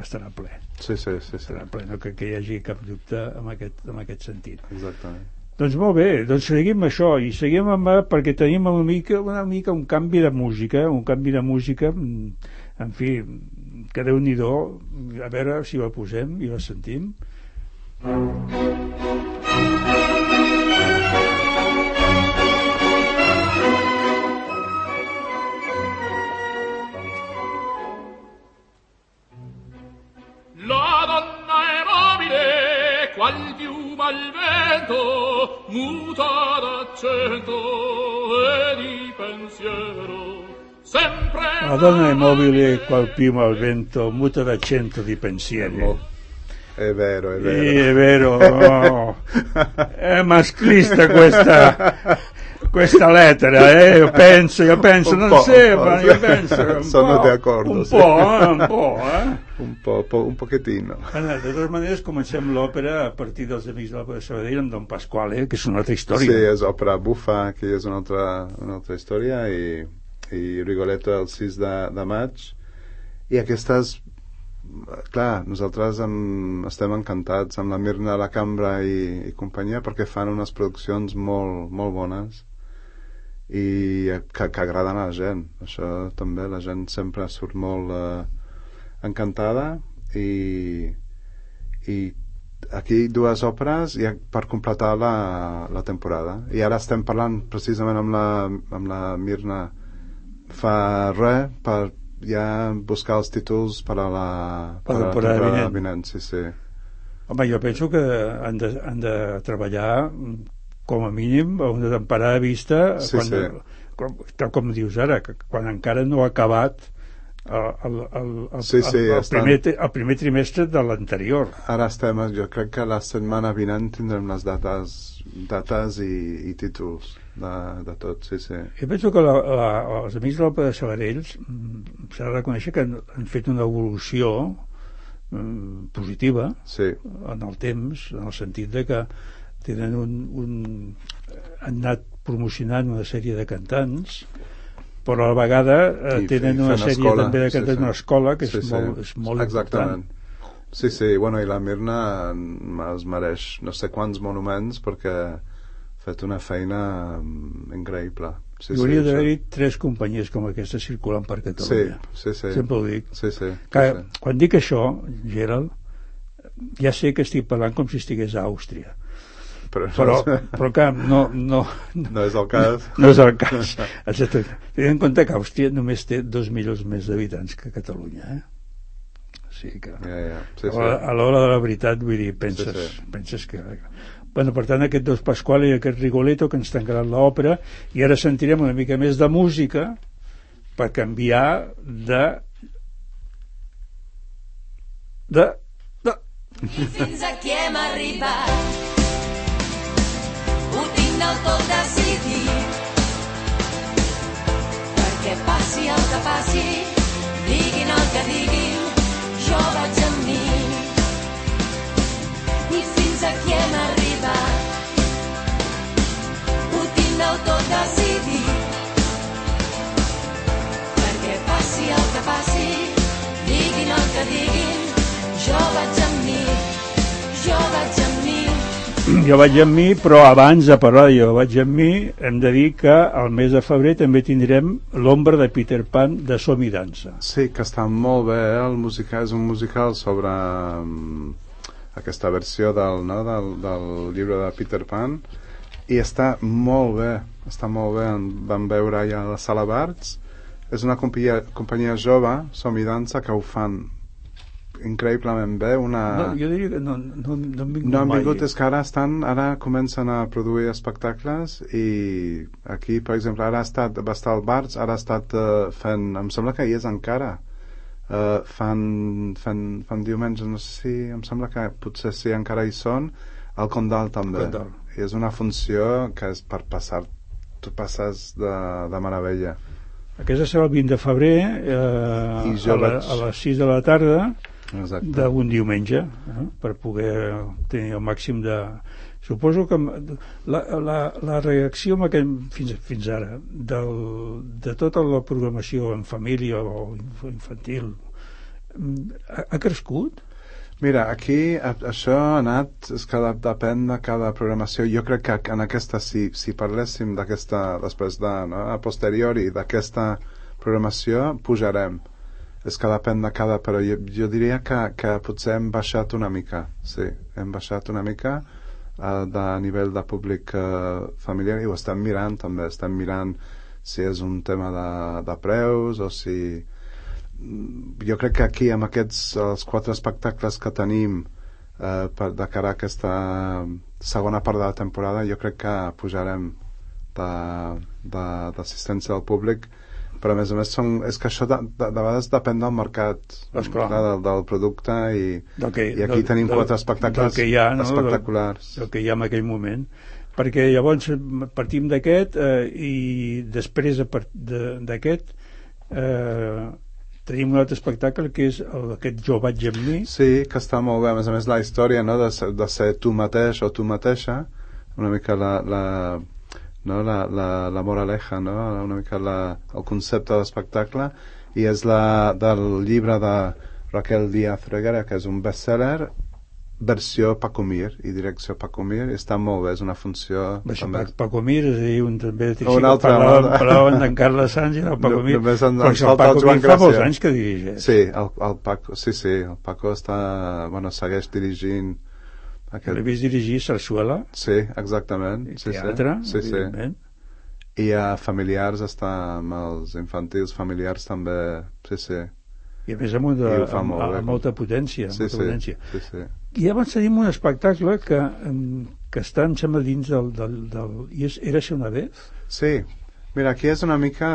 Speaker 2: estarà ple.
Speaker 4: Sí, sí, sí, sí.
Speaker 2: Estarà ple, no que, que hi hagi cap dubte en aquest, en aquest sentit.
Speaker 4: Exactament.
Speaker 2: Doncs molt bé, doncs seguim això, i seguim amb, perquè tenim una mica, una mica un canvi de música, un canvi de música, en fi, que Déu-n'hi-do, a veure si la posem i la sentim.
Speaker 7: La donna è mobile, qual piuma al vento, muta d'accento e di pensiero. Sempre
Speaker 2: La donna è mobile, qual piuma al vento, muta d'accento di pensiero.
Speaker 4: È vero, è vero.
Speaker 2: Sì, è vero. No. È maschilista questa, questa lettera, eh? Io penso, io penso,
Speaker 4: Un
Speaker 2: non
Speaker 4: po',
Speaker 2: sembra,
Speaker 4: un
Speaker 2: io
Speaker 4: po'.
Speaker 2: penso. Un
Speaker 4: Sono
Speaker 2: po',
Speaker 4: d'accordo,
Speaker 2: Un
Speaker 4: sì.
Speaker 2: po', eh? Un po', eh?
Speaker 4: Un po', po un pochettino.
Speaker 2: De totes maneres, comencem l'òpera a partir dels Amics de l'Òpera de Sabadell amb Don Pasquale, que és una altra història.
Speaker 4: Sí, és òpera bufa, que és una altra, una altra història, i, i Rigoletto el sis de, de maig. I aquestes, clar, nosaltres em, estem encantats amb la Mirna La Cambra i, i companyia, perquè fan unes produccions molt, molt bones i que, que agraden a la gent. Això també, la gent sempre surt molt eh, encantada, i, i aquí dues òperes i per completar la, la temporada. I ara estem parlant precisament amb la, amb la Mirna fa res per ja buscar els títols per a la,
Speaker 2: per la temporada, temporada vinent.
Speaker 4: vinent. Sí, sí.
Speaker 2: Home, jo penso que han de, han de treballar com a mínim a una temporada vista,
Speaker 4: sí,
Speaker 2: quan,
Speaker 4: sí.
Speaker 2: Com, tal com dius ara, que quan encara no ha acabat el, el, el, el,
Speaker 4: sí, sí,
Speaker 2: el, el,
Speaker 4: estan...
Speaker 2: primer, el primer trimestre de l'anterior.
Speaker 4: Ara estem, jo crec que la setmana vinent tindrem les dates, dates i, i títols de, de tot, sí, sí.
Speaker 2: Jo penso que la, la, els amics de l'Òpera de Sabadell s'ha de reconèixer que han, han fet una evolució mm, positiva,
Speaker 4: sí, en
Speaker 2: el temps, en el sentit de que tenen un, un han anat promocionant una sèrie de cantants, però a la vegada eh,
Speaker 4: I,
Speaker 2: tenen
Speaker 4: i
Speaker 2: una sèrie
Speaker 4: escola,
Speaker 2: també de cantants d'una sí, sí. escola que és,
Speaker 4: sí,
Speaker 2: molt,
Speaker 4: sí.
Speaker 2: és molt
Speaker 4: exactament.
Speaker 2: important.
Speaker 4: Sí, sí, bueno, i la Mirna es mereix no sé quants monuments perquè ha fet una feina increïble. Sí,
Speaker 2: hi hauria
Speaker 4: sí,
Speaker 2: d'haver-hi tres companyies com aquesta circulant per Catalunya.
Speaker 4: Sí, sí, sí.
Speaker 2: Sempre ho dic.
Speaker 4: Sí, sí,
Speaker 2: que,
Speaker 4: sí, sí.
Speaker 2: Quan dic això, Gerald, ja sé que estic parlant com si estigués a Àustria. Però, però, però que no, no,
Speaker 4: no és el cas.
Speaker 2: No és el cas. Tenint en compte que Àustria només té dos milions més d'habitants que Catalunya, eh? O sigui que
Speaker 4: ja, ja. Sí, sí.
Speaker 2: a l'hora de la veritat, vull dir, penses,
Speaker 4: sí, sí.
Speaker 2: penses que... Bueno, per tant, aquest Dos Pasquale i aquest Rigoletto que ens tancaran l'òpera, i ara sentirem una mica més de música per canviar de de de
Speaker 8: i fins aquí hem arribat, ho tinc del tot decidit, perquè passi el que passi, diguin el que diguin, jo vaig amb mi. I fins aquí hem arribat, ho tinc del tot decidit, perquè passi el que passi, diguin el que diguin, jo vaig amb mi, jo vaig amb mi.
Speaker 2: Jo vaig amb mi, però abans de parlar de Jo vaig amb mi, hem de dir que al mes de febrer també tindrem l'Ombra de Peter Pan de Som i Dansa.
Speaker 4: Sí, que està molt bé, eh? El musical és un musical sobre um, aquesta versió del, no, del, del llibre de Peter Pan, i està molt bé, està molt bé. Vam veure ja a la Sala Barts. És una companyia, companyia jove, Som i Dansa, que ho fan increïblement bé. Una...
Speaker 2: No, jo diria que no, no, no han vingut
Speaker 4: no han vingut,
Speaker 2: mai.
Speaker 4: És que ara estan, ara comencen a produir espectacles, i aquí, per exemple, ara ha estat, va estar al Barts, ara ha estat uh, fent, em sembla que hi és encara, uh, fan, fan, fan diumenge, no sé si, em sembla que potser sí, encara hi són, al Condal també.
Speaker 2: Condal.
Speaker 4: I és una funció que és per passar, tu passes de, de meravella.
Speaker 2: Aquesta serà el vint de febrer, eh,
Speaker 4: I jo
Speaker 2: a, la,
Speaker 4: vaig...
Speaker 2: a les sis de la tarda, d'un diumenge, eh, per poder tenir el màxim de... Suposo que la, la, la reacció amb aquest, fins, fins ara del, de tota la programació en família o infantil ha, ha crescut?
Speaker 4: Mira, aquí a, això ha anat, és que depèn de cada programació. Jo crec que en aquesta, si, si parléssim d'aquesta, després de, no, a posteriori d'aquesta programació, pujarem. És que depèn de cada, però jo, jo diria que, que potser hem baixat una mica, sí, hem baixat una mica uh, de nivell de públic uh, familiar, i ho estem mirant també, estem mirant si és un tema de, de preus o si... Jo crec que aquí amb aquests els quatre espectacles que tenim uh, per, de cara a aquesta segona part de la temporada, jo crec que pujarem d'assistència del públic, però a més a més són, és que això de, de, de vegades depèn del mercat, clar, del, del producte, i,
Speaker 2: que,
Speaker 4: i aquí
Speaker 2: del,
Speaker 4: tenim
Speaker 2: del,
Speaker 4: quatre espectacles
Speaker 2: que hi ha, no?
Speaker 4: espectaculars
Speaker 2: del, del que hi ha en aquell moment, perquè llavors partim d'aquest eh, i després d'aquest eh, tenim un altre espectacle que és el, aquest Jo vaig amb mi.
Speaker 4: Sí, que està molt bé, a més a més la història, no? de, ser, de ser tu mateix o tu mateixa, una mica la, la no? la, la, la moraleja, no? Una mica la, el concepte de l'espectacle, i és la, del llibre de Raquel Díaz Reguera, que és un bestseller, versió Paco Mir i direcció Paco Mir, està molt bé, és una funció
Speaker 2: Això,
Speaker 4: també...
Speaker 2: Paco Mir, és a dir, un també sí,
Speaker 4: Un altre,
Speaker 2: parlaven,
Speaker 4: no?
Speaker 2: parlaven d'en Carles Sanz i el Paco
Speaker 4: No,
Speaker 2: Mir,
Speaker 4: només en-
Speaker 2: però
Speaker 4: ens
Speaker 2: el
Speaker 4: falta el
Speaker 2: Paco
Speaker 4: Joan
Speaker 2: Mir fa molts
Speaker 4: Gràcia.
Speaker 2: anys que dirigeix.
Speaker 4: Sí, el, el Paco, sí, sí, el Paco està, bueno, segueix dirigint
Speaker 2: Que l'he vist dirigir Sarsuela,
Speaker 4: Sí, exactament.
Speaker 2: i
Speaker 4: Sí,
Speaker 2: teatre,
Speaker 4: sí, sí, sí.
Speaker 2: evidentment.
Speaker 4: I a familiars està amb els infantils familiars també, sí, sí.
Speaker 2: I a més amb, una,
Speaker 4: I ho fa
Speaker 2: amb,
Speaker 4: molt bé.
Speaker 2: amb molta potència.
Speaker 4: Sí,
Speaker 2: molta
Speaker 4: sí,
Speaker 2: potència.
Speaker 4: sí, sí.
Speaker 2: I abans tenim un espectacle que, em, que està, em sembla, dins del... del, del i és Érase una vez?
Speaker 4: Sí, mira, aquí és una mica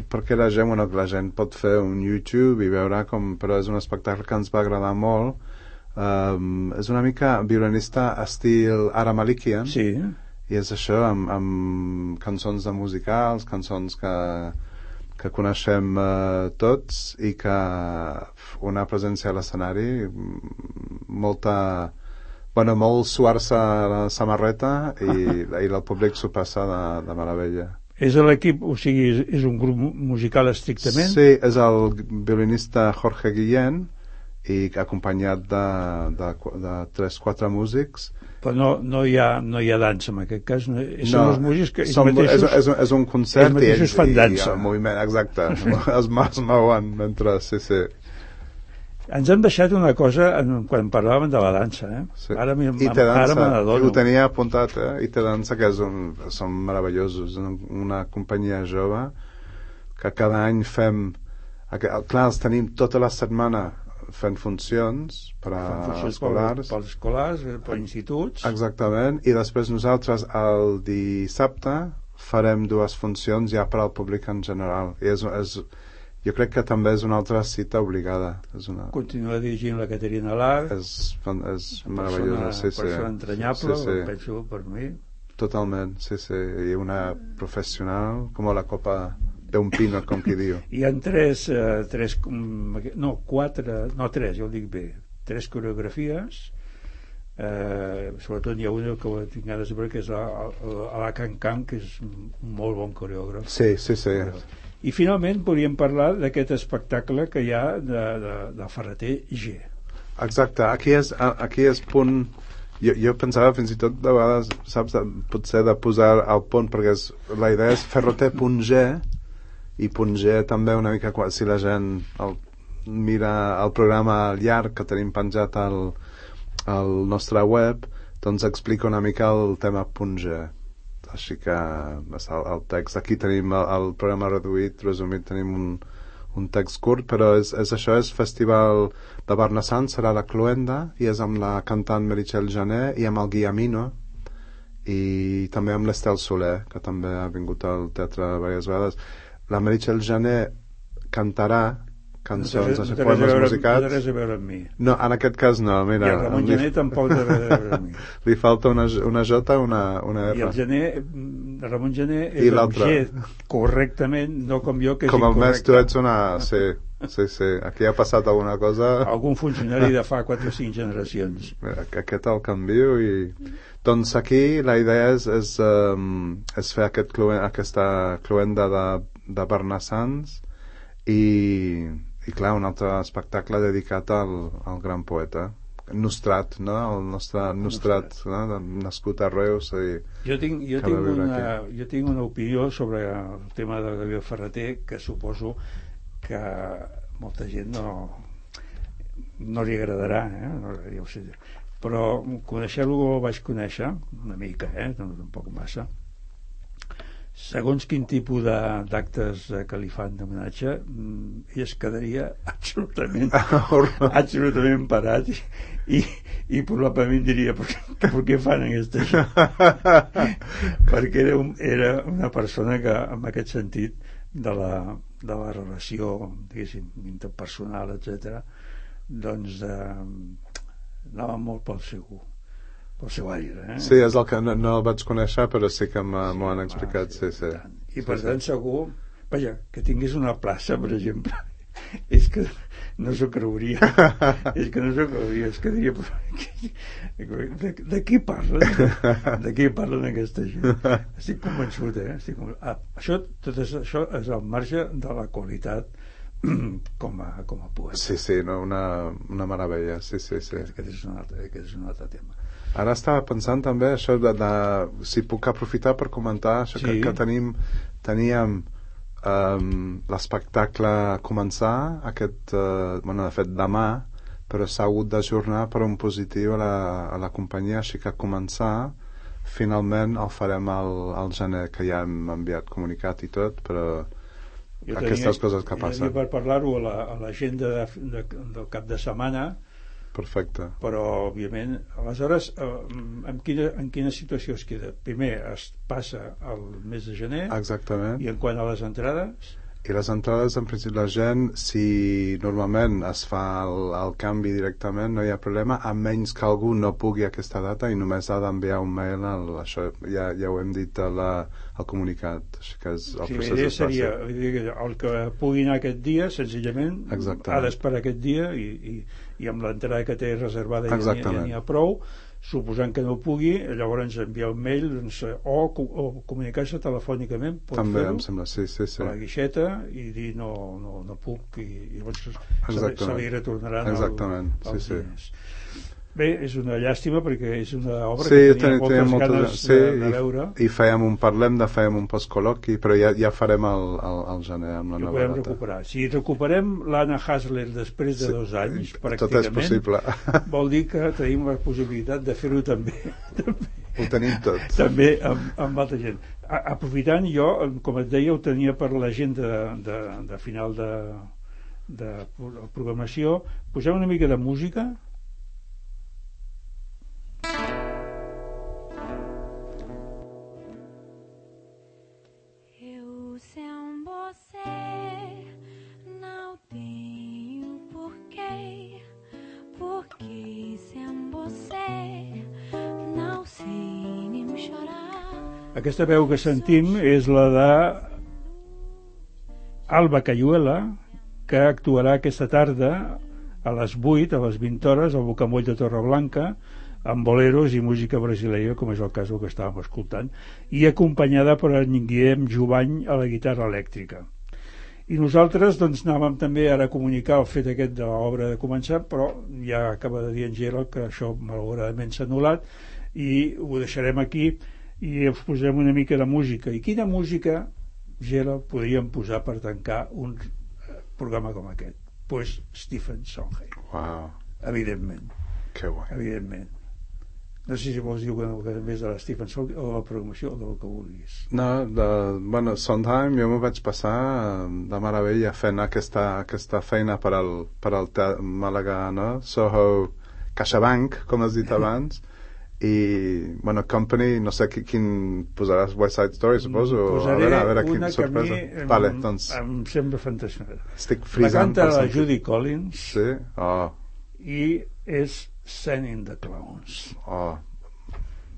Speaker 4: perquè la gent, bueno, la gent pot fer un YouTube i veure com, però és un espectacle que ens va agradar molt. Um, és una mica violinista estil Ara Malikian.
Speaker 2: Sí.
Speaker 4: I és això, amb, amb cançons de musicals, cançons que, que coneixem eh, tots i que una presència a l'escenari molta... Bueno, molt suar-se la samarreta i, i el públic s'ho passa de, de meravella.
Speaker 2: És l'equip, o sigui, és, és un grup musical estrictament?
Speaker 4: Sí, és el violinista Jorge Guillén i acompanyat de, de, de tres, quatre músics.
Speaker 2: Però no, no, hi ha, no hi ha dansa en aquest cas, no, són
Speaker 4: No,
Speaker 2: els músics que ells
Speaker 4: som,
Speaker 2: mateixos,
Speaker 4: és, és, és un concert
Speaker 2: ells mateixos
Speaker 4: i ells,
Speaker 2: fan
Speaker 4: i,
Speaker 2: dansa.
Speaker 4: i el moviment, exacte, es, es mouen mentre, sí, sí.
Speaker 2: Ens hem deixat una cosa en, quan parlàvem de la dansa, eh?
Speaker 4: Sí.
Speaker 2: Ara, mi,
Speaker 4: I té
Speaker 2: ara
Speaker 4: dansa,
Speaker 2: me n'adono.
Speaker 4: ho tenia apuntat, eh? I té dansa, que és un, són meravellosos, una companyia jove que cada any fem, clar, els tenim tota la setmana fent funcions per a
Speaker 2: Funcions
Speaker 4: escolars.
Speaker 2: Per, per escolars, per instituts.
Speaker 4: Exactament, i després nosaltres el dissabte farem dues funcions ja per al públic en general. I és, és, jo crec que també és una altra cita obligada. És una...
Speaker 2: Continua dirigint la Caterina Lar.
Speaker 4: És, és meravellosa, sí, sí.
Speaker 2: Persona entranyable,
Speaker 4: sí, sí.
Speaker 2: penso per mi.
Speaker 4: Totalment, sí, sí. I una professional com la copa d'un pino, com qui diu.
Speaker 2: Hi ha tres, eh, tres, no, quatre, no, tres, jo ho dic bé, tres coreografies, eh, sobretot hi ha una que ho tinc ganes de veure, que és la, la, la Can Can, que és un molt bon coreògraf.
Speaker 4: Sí, sí, sí.
Speaker 2: I finalment podríem parlar d'aquest espectacle que hi ha de, de, de Ferreter G.
Speaker 4: Exacte, aquí és, aquí és punt... Jo, jo pensava fins i tot de vegades, saps, de, potser de posar el punt, perquè és, la idea és Ferreter.g, i punt G també una mica, si la gent el, mira el programa llarg que tenim penjat al, al nostre web, doncs explica una mica el tema punt G. Així que el, el text, aquí tenim el, el programa reduït, resumit, tenim un, un text curt, però és, és això, és Festival de Barnassant, serà la Cloenda, i és amb la cantant Meritxell Jané i amb el Guillamino, i també amb l'Estel Soler, que també ha vingut al teatre diverses vegades. La Meritxell Jané cantarà cançons
Speaker 2: no
Speaker 4: de
Speaker 2: té
Speaker 4: poemes musicats.
Speaker 2: No té res a veure amb mi.
Speaker 4: No, en aquest cas no, mira.
Speaker 2: I el Ramon
Speaker 4: li,
Speaker 2: Jané tampoc té res a veure amb mi.
Speaker 4: Li falta una, una J, una, una R.
Speaker 2: I el Jané, Ramon Jané és
Speaker 4: I
Speaker 2: amb G correctament, no com jo, que és
Speaker 4: com el
Speaker 2: incorrecte.
Speaker 4: més tu ets una... Sí, sí, sí. Aquí ha passat alguna cosa...
Speaker 2: Algun funcionari de fa quatre o cinc generacions.
Speaker 4: Mira, aquest el canvio i... Doncs aquí la idea és, és, um, és fer aquest cluen, aquesta cluenda de, de Barnassans i, i clar, un altre espectacle dedicat al, al gran poeta Nostrat, no? El nostre Nostrat, no? Nascut a Reus i
Speaker 2: jo tinc, jo, tinc una, jo tinc una opinió sobre el tema de Gabriel Ferreter que suposo que molta gent no no li agradarà, eh? No, ja ho sé, però conèixer-lo ho vaig conèixer una mica, eh? No, tampoc massa. Segons quin tipus d'actes que li fan d'homenatge, ell es quedaria absolutament absolutament parat i, i, i probablement diria per, per què fan aquesta gent? Perquè era, un, era una persona que en aquest sentit de la, de la relació, diguéssim, interpersonal, etcètera, doncs eh, anava molt pel seu pel seu aire, eh?
Speaker 4: Sí, és el que no, no el vaig conèixer, però sí que m'ho sí, han explicat, sí, sí.
Speaker 2: I
Speaker 4: sí,
Speaker 2: per
Speaker 4: sí.
Speaker 2: tant segur, vaja, que tingués una plaça, per exemple, és que no s'ho creuria, és que no s'ho creuria, és que diria, de, de qui parlen? De qui parlen aquesta gent? Estic convençut, eh? Estic convençut. Ah, això, tot això és al marge de la qualitat com a, com a poeta.
Speaker 4: Sí, sí, no, una, una meravella, sí, sí, sí.
Speaker 2: Aquest, aquest, és un altre, aquest és un altre tema.
Speaker 4: Ara estava pensant també això de, de si puc aprofitar per comentar això
Speaker 2: Sí.
Speaker 4: que, que tenim, teníem um, l'espectacle a començar aquest, uh, bueno, de fet demà, però s'ha hagut d'ajornar per un positiu a la, a la companyia, així que començar finalment el farem al, al gener, que ja hem enviat comunicat i tot, però
Speaker 2: Jo
Speaker 4: aquestes
Speaker 2: tenia,
Speaker 4: coses que
Speaker 2: jo
Speaker 4: passen.
Speaker 2: tenia per parlar-ho a la- a l'agenda de, de, del cap de setmana,
Speaker 4: Perfecte.
Speaker 2: però òbviament aleshores eh, en, quina, en quina situació es queda? Primer es passa al mes de gener
Speaker 4: Exactament.
Speaker 2: i en quant a les entrades
Speaker 4: I les entrades, en principi, la gent, si normalment es fa el, el canvi directament, no hi ha problema, a menys que algú no pugui aquesta data i només ha d'enviar un mail al, això ja, ja ho hem dit a la, al comunicat, així que és, el
Speaker 2: sí, la
Speaker 4: procés
Speaker 2: idea
Speaker 4: és
Speaker 2: seria
Speaker 4: fàcil.
Speaker 2: vull dir que el que pugui anar aquest dia senzillament
Speaker 4: Exactament.
Speaker 2: ha d'esperar aquest dia i, i, i amb l'entrada que té reservada ja n'hi ha, ja
Speaker 4: Exactament.
Speaker 2: n'hi ha prou. Suposant que no pugui, llavors enviar un mail doncs, o, o comunicar-se telefònicament, pot
Speaker 4: També
Speaker 2: fer-ho
Speaker 4: em sembla, sí, sí, sí.
Speaker 2: a la guixeta i dir no, no, no puc i, i llavors se, li-
Speaker 4: Exactament.
Speaker 2: se li retornaran
Speaker 4: Exactament,
Speaker 2: el, els
Speaker 4: sí, sí.
Speaker 2: diners. Bé, és una llàstima perquè és una obra
Speaker 4: Sí,
Speaker 2: que tenia
Speaker 4: tenia,
Speaker 2: moltes
Speaker 4: tenia moltes
Speaker 2: ganes
Speaker 4: sí,
Speaker 2: de, de veure.
Speaker 4: i, i fèiem un, parlem de fèiem un postcol·loqui, però ja, ja farem el, el, el gener amb la
Speaker 2: Que
Speaker 4: nova
Speaker 2: podem
Speaker 4: data.
Speaker 2: recuperar. Si recuperem l'Anna Hasler després de
Speaker 4: Sí,
Speaker 2: dos anys,
Speaker 4: tot és
Speaker 2: pràcticament,
Speaker 4: possible.
Speaker 2: vol dir que tenim la possibilitat de fer-ho també, també,
Speaker 4: Ho tenim tot.
Speaker 2: també amb, amb altra gent. A, aprofitant, jo, com et deia, ho tenia per l'agenda de, de, de final de, de programació. Posem una mica de música.
Speaker 8: Eu sem você não tenho porquê, porque sem você não sei nem chorar.
Speaker 2: Aquesta veu que sentim és la de Alba Cayuela, que actuarà aquesta tarda a les vuit, a les vint hores, al Bocamoll de Torreblanca, amb boleros i música brasileira, com és el cas del que estàvem escoltant, i acompanyada per en Guillem Jubany a la guitarra elèctrica. I nosaltres doncs anàvem també ara a comunicar el fet aquest de l'obra de començar, però ja acaba de dir en Gerald que això malauradament s'ha anul·lat i ho deixarem aquí i us posem una mica de música. I quina música, Gerald, podríem posar per tancar un programa com aquest? Pues Stephen Sondheim,
Speaker 4: Uau,
Speaker 2: evidentment,
Speaker 4: que guai.
Speaker 2: evidentment. No sé si vols dir alguna cosa més de la Stephen Sondheim o de la programació o del que vulguis.
Speaker 4: No, de, bueno, Sondheim jo m'ho vaig passar eh, de meravella fent aquesta, aquesta feina per al, per al te- Màlaga, no? Soho CaixaBank, com has dit abans, i, bueno, Company, no sé qui, quin posaràs, West Side Story, suposo?
Speaker 2: Posaré
Speaker 4: a veure, a veure
Speaker 2: una
Speaker 4: quina
Speaker 2: que a mi
Speaker 4: sorpresa.
Speaker 2: em,
Speaker 4: Vale, doncs,
Speaker 2: em sembla fantàstica.
Speaker 4: estic
Speaker 2: La
Speaker 4: frisant
Speaker 2: canta
Speaker 4: per
Speaker 2: la
Speaker 4: sentir.
Speaker 2: Judy Collins
Speaker 4: Sí? Oh,
Speaker 2: i és Sending the Clowns.
Speaker 4: oh,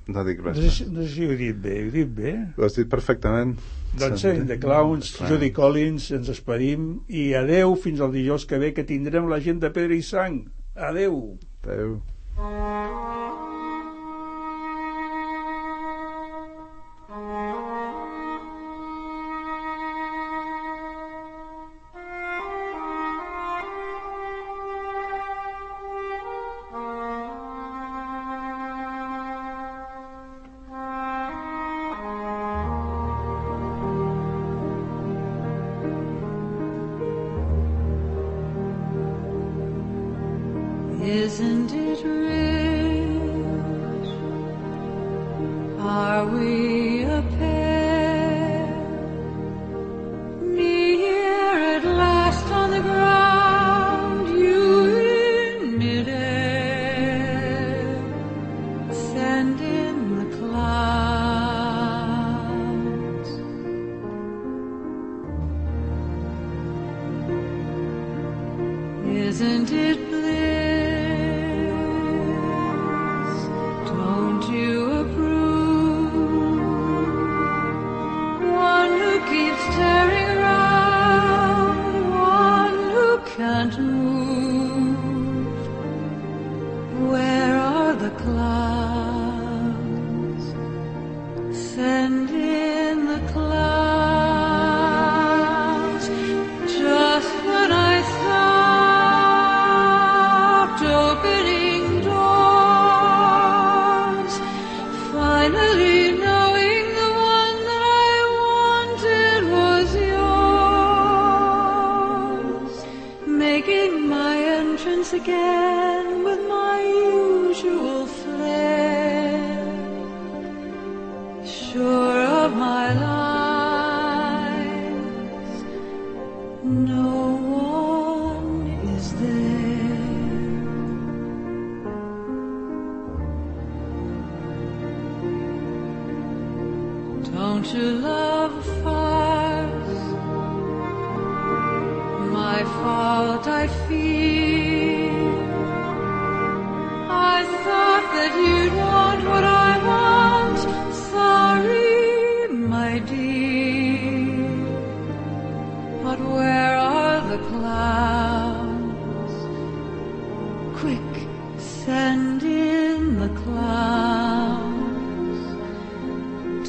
Speaker 4: no dic
Speaker 2: No
Speaker 4: res
Speaker 2: sé,
Speaker 4: més.
Speaker 2: si, no sé si ho he dit bé, ho he dit bé?
Speaker 4: Ho has dit perfectament.
Speaker 2: Doncs Sending the Clowns, Judy Collins, ens despedim i adeu fins al dijous que ve, que tindrem la gent de Pedra i Sang. Adeu.
Speaker 4: Adéu.
Speaker 3: Isn't it rich? Are we a pair? Near at last on the ground, you in midair, send in the clouds. Isn't it don't you approve? One who keeps turning round, one who can't move. Where are the clouds? Send in the clouds. Just when I what I feel. I thought that you'd want what I want. Sorry, my dear. But where are the clouds? Quick, send in the clouds.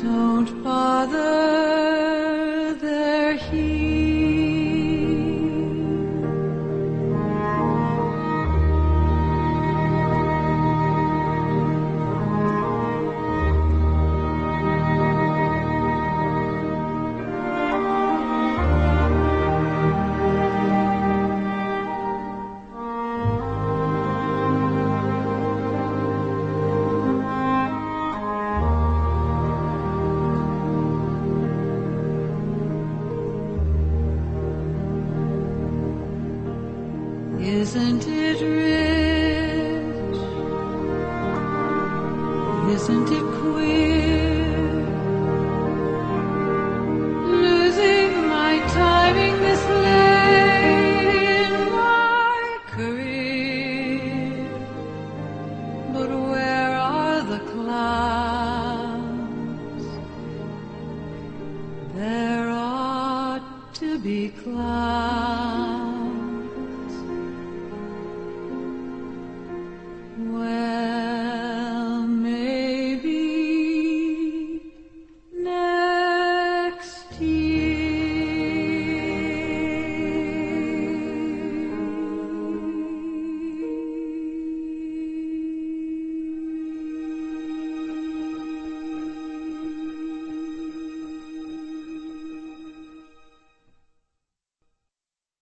Speaker 3: Don't bother, they're here. Isn't it rich? Isn't it queer? Losing my timing this late in my career. But where are the clouds? There ought to be clouds. Where